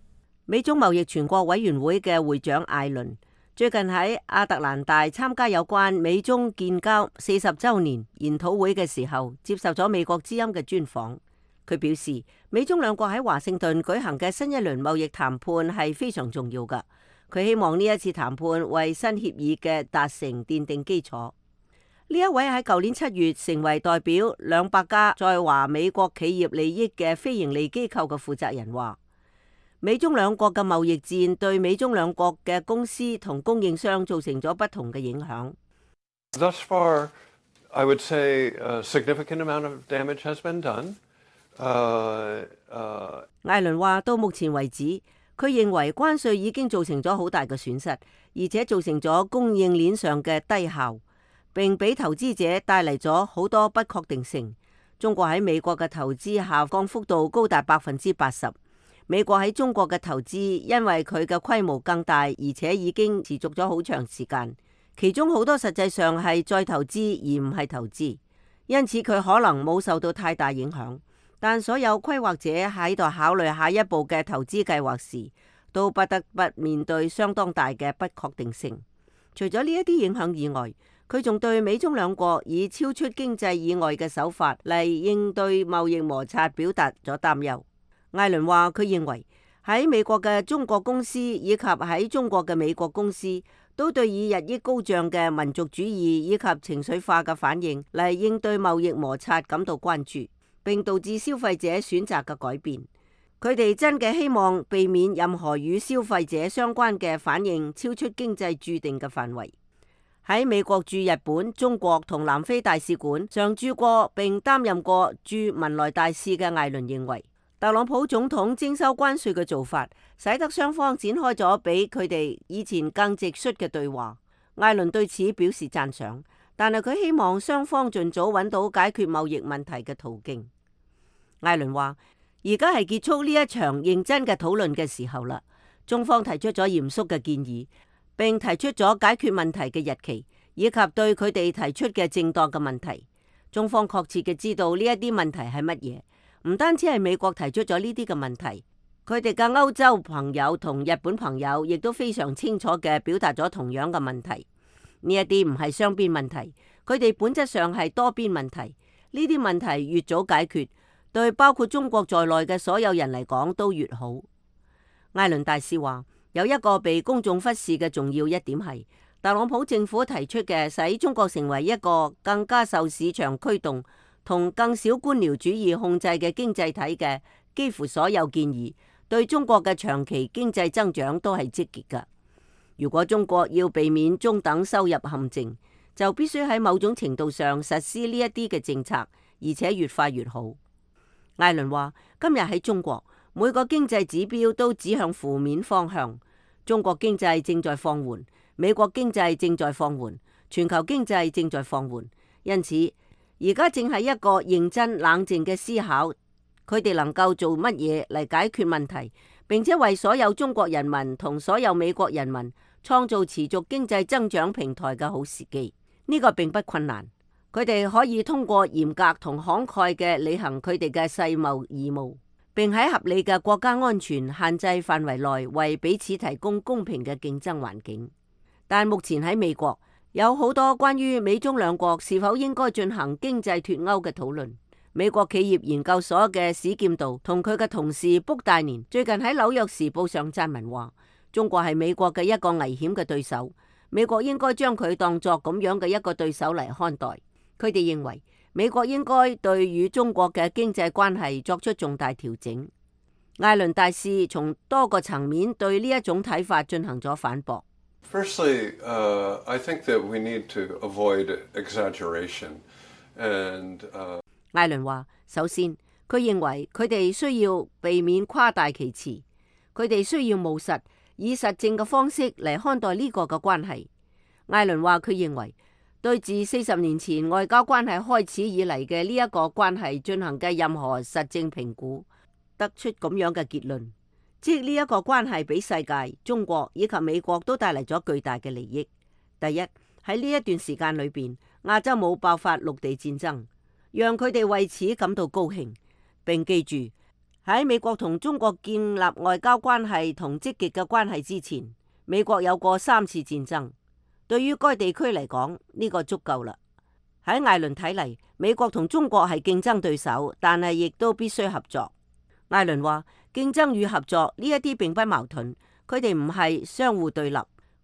美中貿易全國委員會嘅會長艾倫最近喺亞特蘭大參加有關美中建交40週年研討會嘅時候，接受咗美國之音嘅專訪。佢表示，美中兩國喺華盛頓舉行嘅新一輪貿易談判係非常重要㗎。佢希望呢一次談判為新協議嘅達成奠定基礎。呢一位喺舊年7月成為代表200家在華美國企業利益嘅非營利機構嘅負責人話，美中兩國嘅貿易戰對美中兩國嘅公司同供應商造成咗不同嘅影響。Thus far, I would say a significant amount of damage has been done. 艾倫話，到目前為止，佢認為關稅已經造成咗好大嘅損失，而且造成咗供應鏈上嘅低效，並俾投資者帶嚟咗好多不確定性。中國喺美國嘅投資下降幅度高達80%。美國喺中國嘅投資因為佢嘅規模更大，而且已經持續咗好長時間，其中好多實際上係再投資而唔係投資，因此佢可能冇受到太大影響。但所有規劃者喺度考慮下一步嘅投資計劃時，都不得不面對相當大嘅不確定性。除咗呢一啲影響以外，佢仲對美中兩國以超出經濟以外嘅手法嚟應對貿易摩擦表達咗擔憂。艾倫話，佢認為喺美國嘅中國公司以及喺中國嘅美國公司都對以日益高漲嘅民族主義以及情緒化嘅反應嚟應對貿易摩擦感到關注，並導致消費者選擇嘅改變。佢哋真嘅希望避免任何與消費者相關嘅反應超出經濟注定嘅範圍。喺美國駐日本、中國同南非大使館常駐過並擔任過駐文萊大使嘅艾倫認為，特朗普總統徵收關稅嘅做法，使得雙方展開咗比佢哋以前更直率嘅對話。艾倫對此表示讚賞，但係佢希望雙方盡早揾到解決貿易問題嘅途徑。艾倫話，而家係結束呢一場認真嘅討論嘅時候啦。中方提出咗嚴肅嘅建議，並提出咗解決問題嘅日期，以及對佢哋提出嘅正當嘅問題。中方確切嘅知道呢一啲問題係乜嘢。唔單止係美國提出咗呢啲嘅問題，佢哋嘅歐洲朋友同日本朋友亦都非常清楚嘅表達咗同樣嘅問題。呢一啲唔係雙邊問題，佢哋本質上係多邊問題。呢啲問題越早解決，對包括中國在內嘅所有人嚟講都越好。艾倫大使話，有一個被公眾忽視嘅重要一點係，特朗普政府提出嘅使中國成為一個更加受市場驅動同更少官僚主義控制嘅經濟體嘅幾乎所有建議，對中國嘅長期經濟增長都係積極㗎。如果中國要避免中等收入陷阱，就必須喺某種程度上實施呢一啲嘅政策，而且越快越好。艾倫話，今日喺中國，每個經濟指標都指向負面方向。中國經濟正在放緩，美國經濟正在放緩，全球經濟正在放緩，因此而家正係一個認真冷靜嘅思考，佢哋能夠做乜嘢嚟解決問題，並且為所有中國人民同所有美國人民創造持續經濟增長平台嘅好時機。呢個並不困難，佢哋可以通過嚴格同慷慨嘅履行佢哋嘅世貿義務，並喺合理嘅國家安全限制範圍內為彼此提供公平嘅競爭環境。但目前喺美國有好多關於美中兩國是否應該進行經濟脫鈎嘅討論。美國企業研究所嘅史劍道同佢嘅同事卜大年最近喺紐約時報上撰文話，中國係美國嘅一個危險嘅對手，美國應該將佢當作咁樣嘅一個對手嚟看待。佢哋認為美國應該對與中國嘅經濟關係作出重大調整。艾倫大使從多個層面對呢一種睇法進行咗反駁。Firstly, I think that we need to avoid exaggeration. And, 艾倫話：首先，佢認為佢哋需要避免誇大其詞，佢哋需要務實，以實證嘅方式嚟看待呢個嘅關係。艾倫話：佢認為對自40年前外交關係開始以嚟嘅呢一個關係進行嘅任何實證評估，得出咁樣嘅結論，即呢一個關係俾世界、中國以及美國都帶嚟咗巨大嘅利益。第一，喺呢一段時間裏邊，亞洲冇爆發陸地戰爭，讓佢哋為此感到高興。並記住，喺美國同中國建立外交關係同積極嘅關係之前，美國有過3次戰爭。對於該地區嚟講，呢個足夠啦。喺艾倫睇嚟，美國同中國係競爭對手，但係亦都必須合作。艾倫話：競爭與合作呢一啲並不矛盾，佢哋唔係相互對立，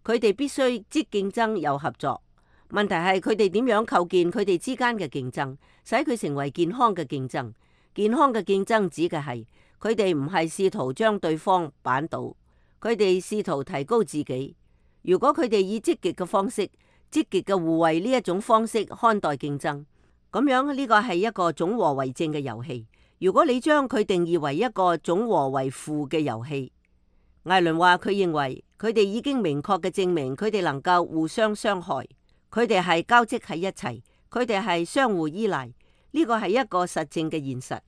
佢哋必須即競爭又合作。問題係佢哋點樣構建佢哋之間嘅競爭，使佢成為健康嘅競爭。健康嘅競爭指嘅係佢哋唔係試圖將對方扳倒，佢哋試圖提高自己。如果佢哋以積極嘅方式、積極嘅互惠呢一種方式看待競爭，咁樣呢個係一個總和為正嘅遊戲。如果你將佢定義為一個總和為負嘅遊戲，艾倫話佢認為佢哋已經明確嘅證明佢哋能夠互相傷害，佢哋係交織喺一齊，佢哋係相互依賴。呢個係一個實證嘅現實，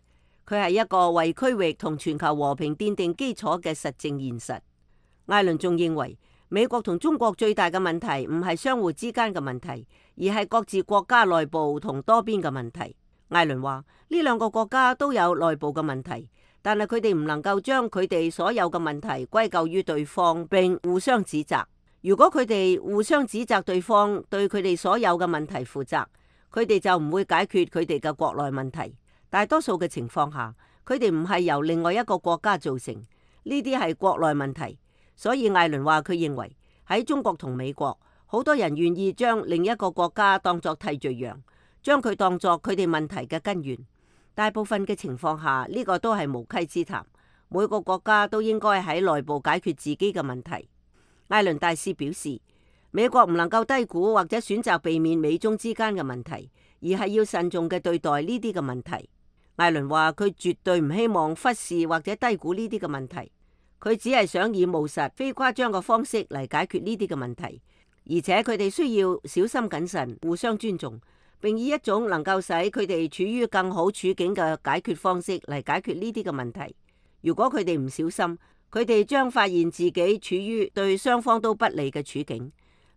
佢係一個為區域同全球和平奠定基礎嘅實證現實。艾倫仲認為美國同中國最大嘅問題唔係相互之間嘅問題，而係各自國家內部同多邊嘅問題。艾倫話呢兩個國家都有內部嘅問題，但係佢哋唔能夠將佢哋所有嘅問題歸咎於對方並互相指責。如果佢哋互相指責對方對佢哋所有嘅問題負責，佢哋就唔會解決佢哋嘅國內問題。大多數嘅情況下，佢哋唔係由另外一個國家造成，呢啲係國內問題。所以艾倫話佢認為喺中國同美國，好多人願意將另一個國家當作替罪羊，將佢當作佢哋問題嘅根源。大部分嘅情況下，呢個都係無稽之談。每個國家都應該喺內部解決自己嘅問題。艾倫大使表示，美國唔能夠低估或者選擇避免美中之間嘅問題，而係要慎重嘅對待呢啲嘅問題。艾倫話佢絕對唔希望忽視或者低估呢啲嘅問題，佢只係想以務實、非誇張嘅方式嚟解決呢啲嘅問題，而且佢哋需要小心謹慎、互相尊重，並以一種能夠使佢哋處於更好處境嘅解決方式嚟解決呢啲嘅問題。如果佢哋唔小心，佢哋將發現自己處於對雙方都不利嘅處境。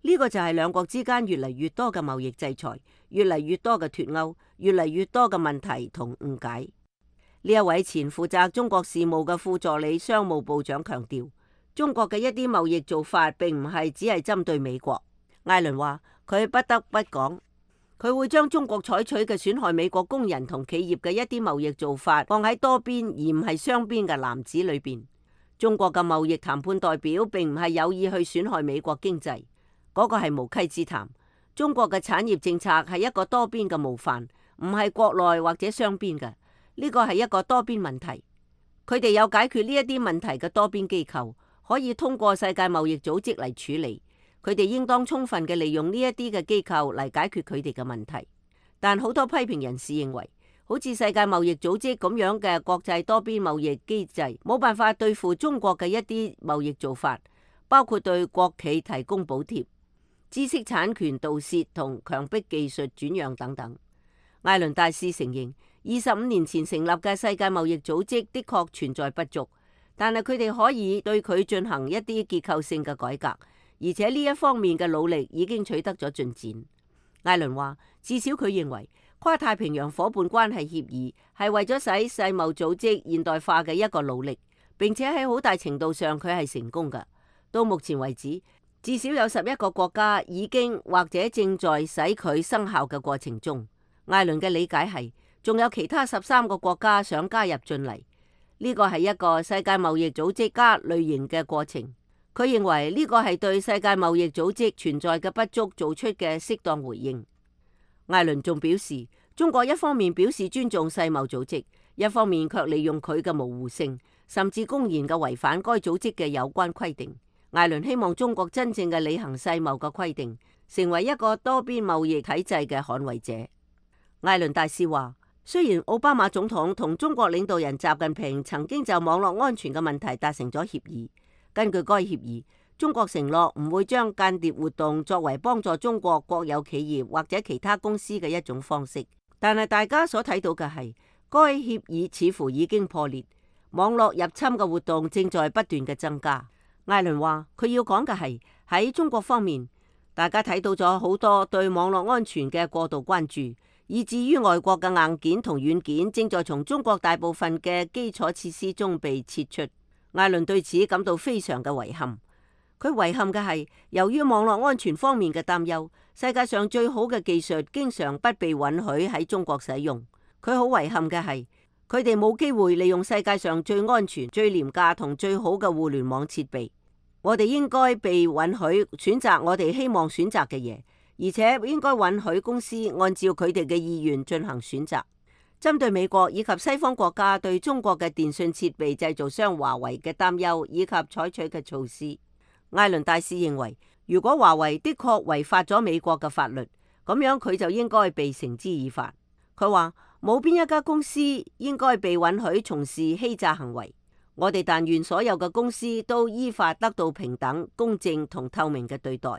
呢個就係兩國之間越嚟越多嘅貿易制裁，越嚟越多嘅脫鈎，越嚟越多嘅問題同誤解。呢一位前負責中國事務嘅副助理商務部長強調，中國嘅一啲貿易做法並唔係只係針對美國。艾倫話佢不得不講，佢會將中國採取嘅損害美國工人同企業嘅一啲貿易做法放喺多邊而唔係雙邊嘅籃子裏邊。中國嘅貿易談判代表並唔係有意去損害美國經濟。嗰個係無稽之談。中國嘅產業政策係一個多邊嘅模範，唔係國內或者雙邊嘅。呢個係一個多邊問題。佢哋有解決呢一啲問題嘅多邊機構，可以通過世界貿易組織嚟處理。佢哋應當充分嘅利用呢一啲嘅機構嚟解決佢哋嘅問題。但好多批評人士認為，好似世界貿易組織咁樣嘅國際多邊貿易機制，冇辦法對付中國嘅一啲貿易做法，包括對國企提供補貼、知識產權盜竊同強迫技術轉讓等等。艾倫大使承認，25年前成立嘅世界貿易組織的確存在不足，但係佢哋可以對佢進行一啲結構性嘅改革，而且呢一方面嘅努力已經取得咗進展。艾倫話，至少佢認為跨太平洋伙伴關係協議係為咗使世貿組織現代化嘅一個努力，並且喺好大程度上佢係成功嘅。到目前為止，至少有11個國家已經或者正在使佢生效嘅過程中。艾倫嘅理解係，仲有其他13個國家想加入進嚟。呢個係一個世界貿易組織加類型嘅過程。佢認為呢個係對世界貿易組織存在嘅不足做出嘅適當回應。艾倫仲表示，中國一方面表示尊重世貿組織，一方面卻利用佢嘅模糊性，甚至公然嘅違反該組織嘅有關規定。艾倫希望中國真正嘅履行世貿嘅規定，成為一個多邊貿易體制嘅捍衛者。艾倫大使話，雖然奧巴馬總統同中國領導人習近平曾經就網絡安全嘅問題達成咗協議，根據該協議，中國承諾唔會將間諜活動作為幫助中國國有企業或者其他公司嘅一種方式。但係大家所睇到嘅係，該協議似乎已經破裂，網絡入侵嘅活動正在不斷嘅增加。艾倫話，佢要講嘅係喺中國方面，大家睇到咗好多對網絡安全嘅過度關注，以至於外國嘅硬件同軟件正在從中國大部分嘅基礎設施中被撤出。艾倫對此感到非常嘅遺憾。佢遺憾嘅係，由於網絡安全方面嘅擔憂，世界上最好嘅技術經常不被允許喺中國使用。佢好遺憾嘅係，佢哋冇機會利用世界上最安全、最廉價同最好嘅互聯網設備。我哋應該被允許選擇我哋希望選擇嘅嘢，而且應該允許公司按照佢哋嘅意願進行選擇。針對美國以及西方國家對中國嘅電信設備製造商華為嘅擔憂以及採取嘅措施，艾倫大使認為，如果華為的確違法咗美國嘅法律，咁樣佢就應該被繩之以法。佢話冇邊一家公司應該被允許從事欺詐行為。我哋但願所有嘅公司都依法得到平等、公正同透明嘅對待。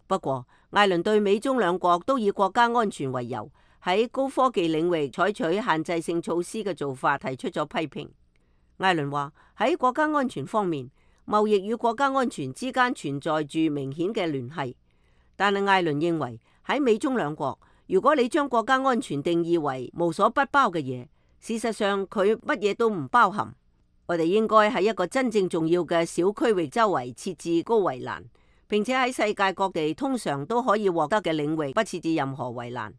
不過，艾倫對美中兩國都以國家安全為由，喺高科技領域採取限制性措施嘅做法提出咗批評。艾倫話，喺國家安全方面，貿易與國家安全之間存在住明顯嘅聯繫。但係艾倫認為，喺美中兩國，如果你將國家安全定義為無所不包嘅嘢，事實上佢乜嘢都唔包含。我哋應該喺一個真正重要嘅小區域周圍設置高圍欄，並且喺世界各地通常都可以獲得嘅領域不設置任何圍欄。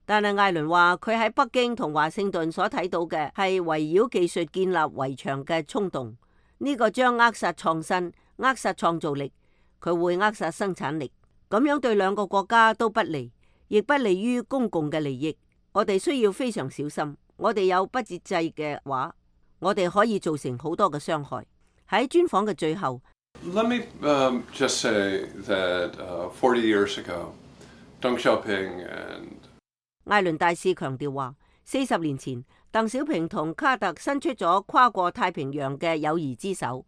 但係艾倫話，佢喺北京同華盛頓所睇到嘅係圍繞技術建立圍牆嘅衝動，呢個將扼殺創新、扼殺創造力，佢會扼殺生產力，咁樣對兩個國家都不利，亦不利於公共嘅利益。我哋需要非常小心，我哋有不節制嘅話，我哋可以造成好多嘅傷害。喺專訪嘅最後 Let me just say that 40 years ago, Deng Xiaoping and 艾倫大使強調話，40年前，鄧小平同卡特伸出咗跨過太平洋嘅友誼之手，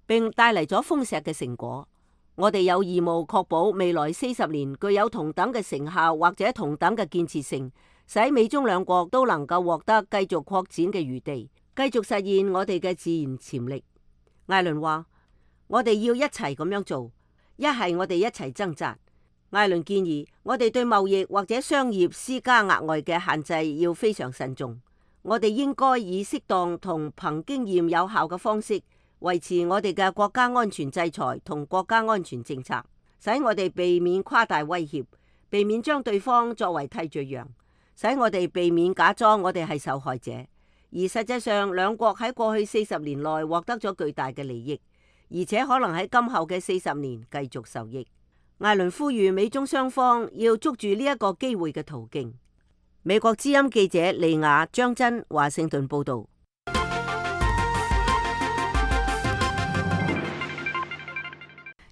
並帶嚟咗豐碩嘅成果。我哋有義務確保未來40年具有同等嘅成效或者同等嘅建設性，使美中兩國都能夠獲得繼續擴展嘅餘地，繼續實現我哋嘅自然潛力。艾倫話，我哋要一齊咁樣做，一係我哋一齊掙扎。艾倫建議我哋對貿易或者商業施加額外嘅限制要非常慎重。我哋應該以適當同憑經驗有效嘅方式維持我哋嘅國家安全制裁同國家安全政策，使我哋避免誇大威脅，避免將對方作為替罪羊，使我哋避免假裝我哋係受害者。而實際上，兩國喺過去40年內獲得咗巨大嘅利益，而且可能喺今後嘅40年繼續受益。艾倫呼籲美中雙方要捉住呢一個機會嘅途徑。美國之音記者利亞張真華盛頓報道。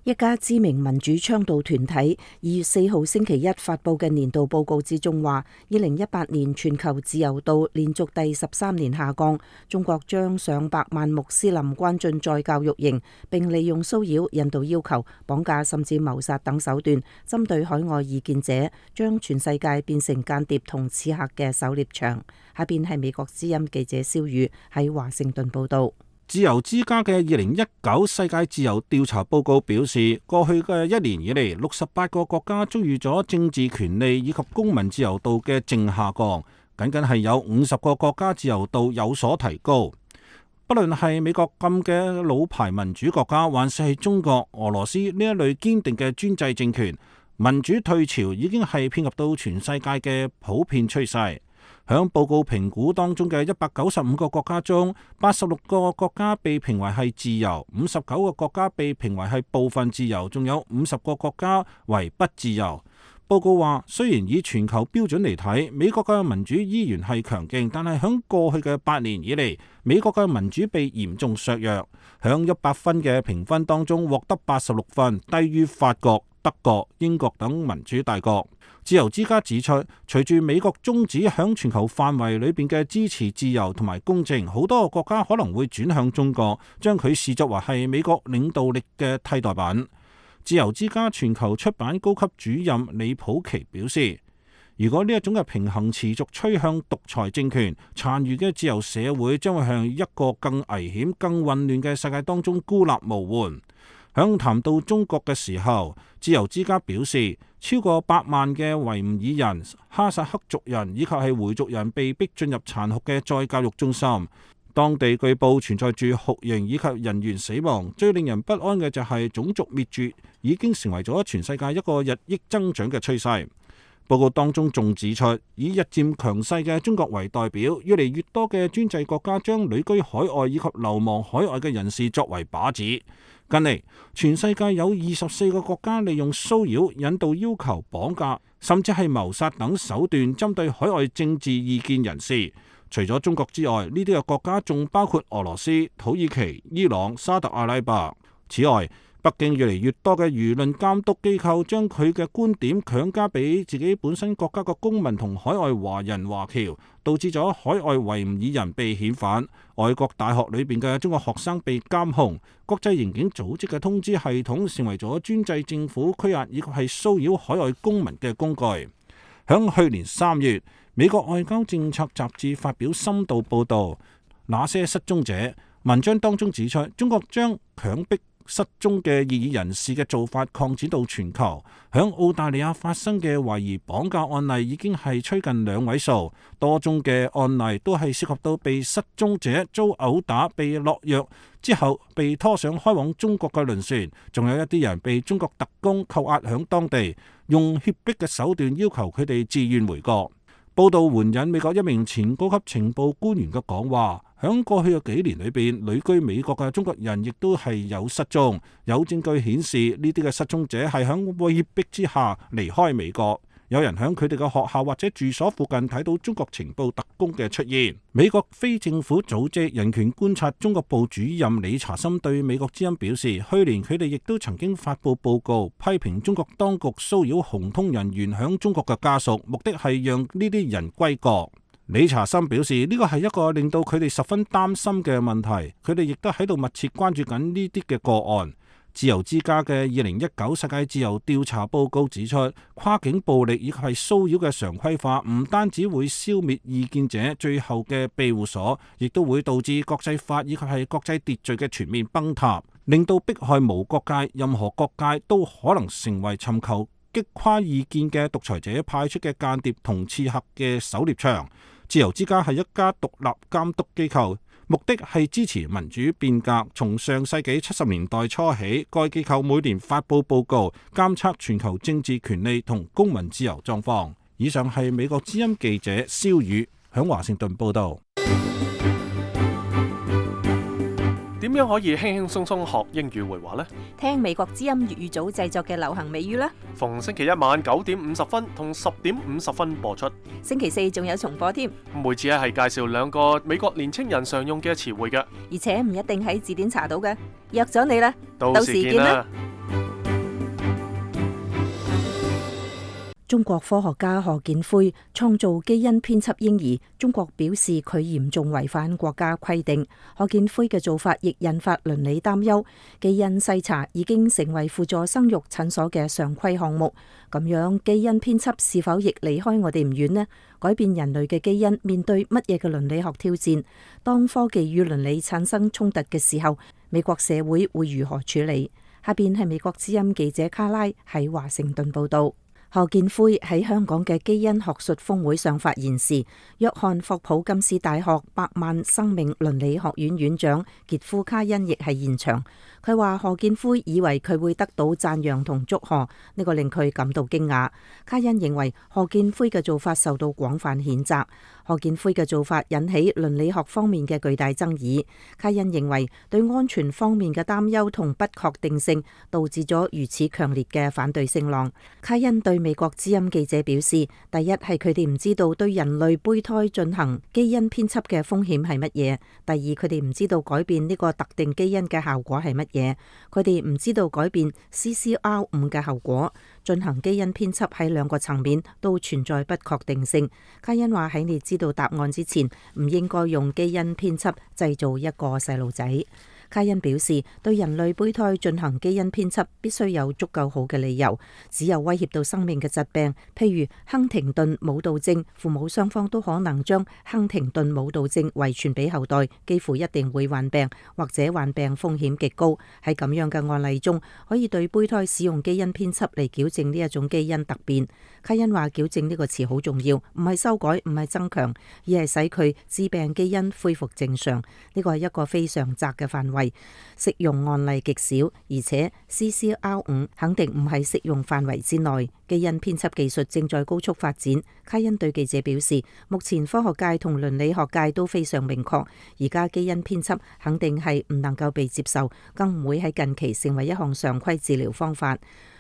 一家知名民主倡導團體2月4號星期一發佈嘅年度報告之中話，2018年全球自由度連續第13年下降，中國將上百萬穆斯林關進再教育營，並利用騷擾、引導要求、綁架甚至謀殺等手段，針對海外異見者，將全世界變成間諜同刺客嘅狩獵場。下邊係美國之音記者蕭宇喺華盛頓報道。自由之家嘅2019世界自由調查報告表示，過去嘅一年以嚟，68個國家遭遇咗政治權利以及公民自由度嘅正下降，僅僅係有50個國家自由度有所提高。不論係美國咁嘅老牌民主國家，還是係中國、俄羅斯呢一類堅定嘅專制政權，民主退潮已經係遍及到全世界嘅普遍趨勢。響報告評估當中嘅195個國家中，86個國家被評為係自由，59個國家被評為係部分自由，仲有50個國家為不自由。報告話，雖然以全球標準嚟睇，美國嘅民主依然係強勁，但係響過去嘅8年以嚟，美國嘅民主被嚴重削弱。響100分嘅評分當中，獲得86分，低於法國、德國、英國等民主大國。自由之家指出，隨住美國終止響全球範圍裏邊嘅支持自由同埋公正，好多個國家可能會轉向中國，將佢視作為係美國領導力嘅替代品。自由之家全球出版高級主任李普奇表示，如果呢一種嘅平衡持續趨向獨裁政權，殘餘嘅自由社會將會向一個更危險、更混亂嘅世界當中孤立無援。響談到中國嘅時候，自由之家表示，超過100萬嘅維吾爾人、哈薩克族人以及係回族人被逼進入殘酷嘅再教育中心，當地據報存在住酷刑以及人員死亡。最令人不安嘅就係種族滅絕已經成為咗全世界一個日益增長嘅趨勢。報告當中仲指出，以日漸強勢嘅中國為代表，越嚟越多嘅專制國家將旅居海外以及流亡海外嘅人士作為靶子。近嚟，全世界有24個國家利用騷擾、引導、要求、綁架，甚至係謀殺等手段針對海外政治意見人士。除咗中國之外，呢啲嘅國家仲包括俄羅斯、土耳其、伊朗、沙特阿拉伯。此外，北京越嚟越多嘅輿論監督機構將佢嘅觀點強加俾自己本身國家嘅公民同海外華人華僑，導致咗海外維吾爾人被遣返，外國大學裏邊嘅中國學生被監控，國際刑警組織嘅通知系統成為咗專制政府拘押以及係騷擾海外公民嘅工具。響去年3月，美國外交政策雜誌發表深度報導，那些失蹤者文章當中指出，中國將強迫失蹤嘅異議人士嘅做法擴展到全球。響澳大利亞發生嘅懷疑綁架案例已經係趨近2位數，多宗嘅案例都係涉及到被失蹤者遭毆打、被落藥之後被拖上開往中國嘅輪船，仲有一啲人被中國特工扣押響當地，用脅迫嘅手段要求佢哋自願回國。報道援引美國一名前高級情報官員嘅講話，響過去嘅幾年裏邊，旅居美國嘅中國人亦都係有失蹤，有證據顯示呢啲嘅失蹤者係響威逼之下離開美國。有人響佢哋嘅學校或者住所附近睇到中國情報特工嘅出現。美國非政府組織人權觀察中國部主任理查森對美國之音表示，去年佢哋亦都曾經發布報告，批評中國當局騷擾紅通人員響中國嘅家屬，目的係讓呢啲人歸國。理查森表示，呢個係一個令到佢哋十分擔心嘅問題，佢哋亦都喺度密切關注緊呢啲嘅個案。自由之家嘅2019世界自由調查報告指出，跨境暴力以及係騷擾嘅常規化，唔單止會消滅異見者最後嘅庇護所，亦都會導致國際法以及係國際秩序嘅全面崩塌，令到迫害無國界，任何國界都可能成為尋求擊垮異見嘅獨裁者派出嘅間諜同刺客嘅狩獵場。自由之家係一家獨立監督機構，目的係支持民主變革。從上世紀70年代初起，該機構每年發布報告，監測全球政治權利同公民自由狀況。以上係美國之音記者蕭宇響華盛頓報道。點樣可以輕輕鬆鬆學英語會話呢？聽美國之音粵語組製作嘅流行美語啦。逢星期一晚9點50分同10點50分播出。星期四仲有重播添。每次係介紹2個美國年青人常用嘅詞彙嘅，而且唔一定喺字典查到嘅。約咗你啦，到時見啦。中國科學家賀建奎創造基因編輯嬰兒，中國表示佢嚴重違反國家規定。賀建奎嘅做法亦引發倫理擔憂。基因篩查已經成為輔助生育診所嘅常規項目，咁樣基因編輯是否亦離開我哋唔遠呢？改變人類嘅基因面對乜嘢嘅倫理學挑戰？當科技與倫理產生衝突嘅時候，美國社會會如何處理？下邊係美國之音記者卡拉喺華盛頓報道。賀建奎喺香港嘅基因學術峰會上發言時，約翰霍普金斯大學百萬生命倫理學院院長傑夫卡恩亦係現場。佢話賀建奎以為佢會得到讚揚同祝賀，呢個令佢感到驚訝。卡恩認為賀建奎嘅做法受到廣泛譴責。賀建奎嘅做法引起倫理學方面嘅巨大爭議。卡恩認為對安全方面嘅擔憂同不確定性導致咗如此強烈嘅反對聲浪。卡恩對美國之音記者表示，第一係佢哋唔知道對人類胚胎進行基因編輯嘅風險係乜嘢；第二，佢哋唔知道改變呢個特定基因嘅效果係乜嘢；佢哋唔知道改變 CCR5 嘅後果。進行基因編輯喺兩個層面都存在不確定性。卡恩話喺你知道答案之前，唔應該用基因編輯製造一個細路仔。卡恩表示，對人類胚胎進行基因編輯必須有足夠好嘅理由，只有威脅到生命嘅疾病，譬如亨廷頓舞蹈症，父母雙方都可能將亨廷頓舞蹈症遺傳俾後代，幾乎一定會患病，或者患病風險極高。喺咁樣嘅案例中，可以對胚胎使用基因編輯嚟矯正呢一種基因突變。卡恩話矯正呢個詞好重要，唔係修改，唔係增強，而係使佢致病基因恢復正常。呢個係一個非常窄嘅範圍，適用案例極少，而且 CCR5 肯定唔係適用範圍之內。基因編輯技術正在高速發展。卡恩對記者表示，目前科學界同倫理學界都非常明確，而家基因編輯肯定係唔能夠被接受，更唔會喺近期成為一項常規治療方法。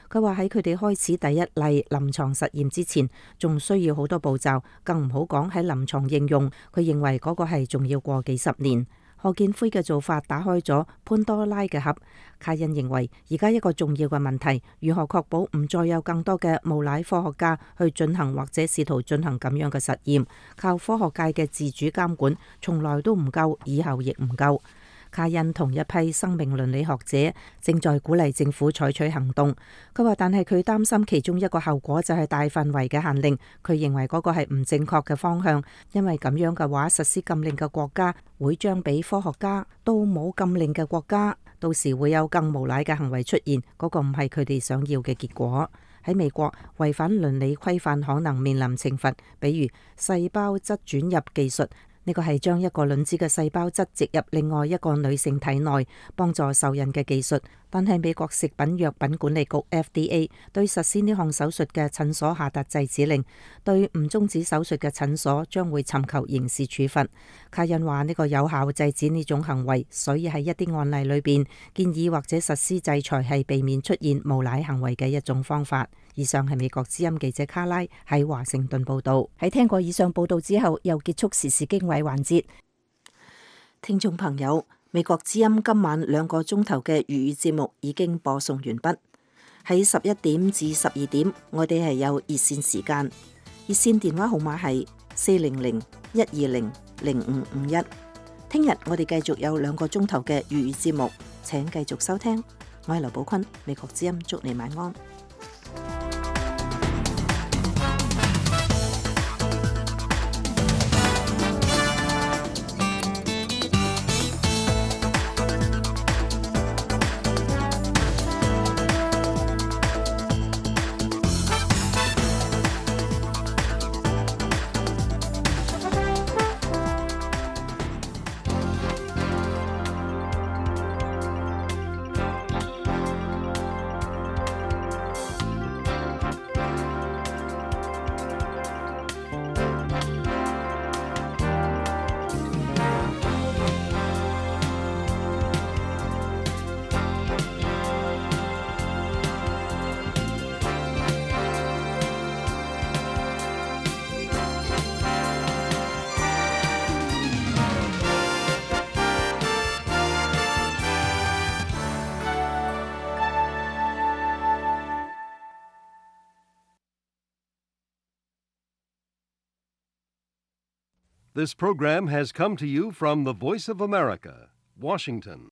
佢話喺佢哋開始第一例臨床實驗之前，仲需要好多步驟，更唔好講喺臨床應用。佢認為嗰個係仲要過幾十年。賀建奎嘅做法打開咗潘多拉嘅盒。卡恩認為而家一個重要嘅問題，如何確保唔再有更多嘅無賴科學家去進行或者試圖進行咁樣嘅實驗，靠科學界嘅自主監管從來都唔夠，以後亦唔夠。卡恩同一批生命倫理學者正在鼓勵政府採取行動。佢話，但係佢擔心其中一個後果就係大範圍嘅限令。佢認為嗰個係唔正確嘅方向，因為咁樣嘅話，實施禁令嘅國家會將比科學家都冇禁令嘅國家，到時會有更無賴嘅行為出現。嗰個唔係佢哋想要嘅結果。喺美國，違反倫理規範可能面臨懲罰，比如細胞質轉入技術。呢個係將一個卵子嘅細胞質植入另外一個女性體內，幫助受孕嘅技術。但係美國食品藥品管理局 FDA 對實施呢項手術嘅診所下達制止令，對唔終止手術嘅診所將會尋求刑事處罰。卡恩話呢個有效制止呢種行為，所以喺一啲案例裏邊建議或者實施制裁係避免出現無賴行為嘅一種方法。以上係美國之音記者卡拉喺華盛頓報道。喺聽過以上報道之後，又結束時事經緯環節。聽眾朋友，美國之音今晚2個鐘頭嘅粵語節目已經播送完畢。喺11點至12點，我哋係有熱線時間，熱線電話號碼係400-120-0551。聽日我哋繼續有2個鐘頭嘅粵語節目，請繼續收聽。我係劉寶坤，美國之音祝你晚安。This program has come to you from the Voice of America, Washington.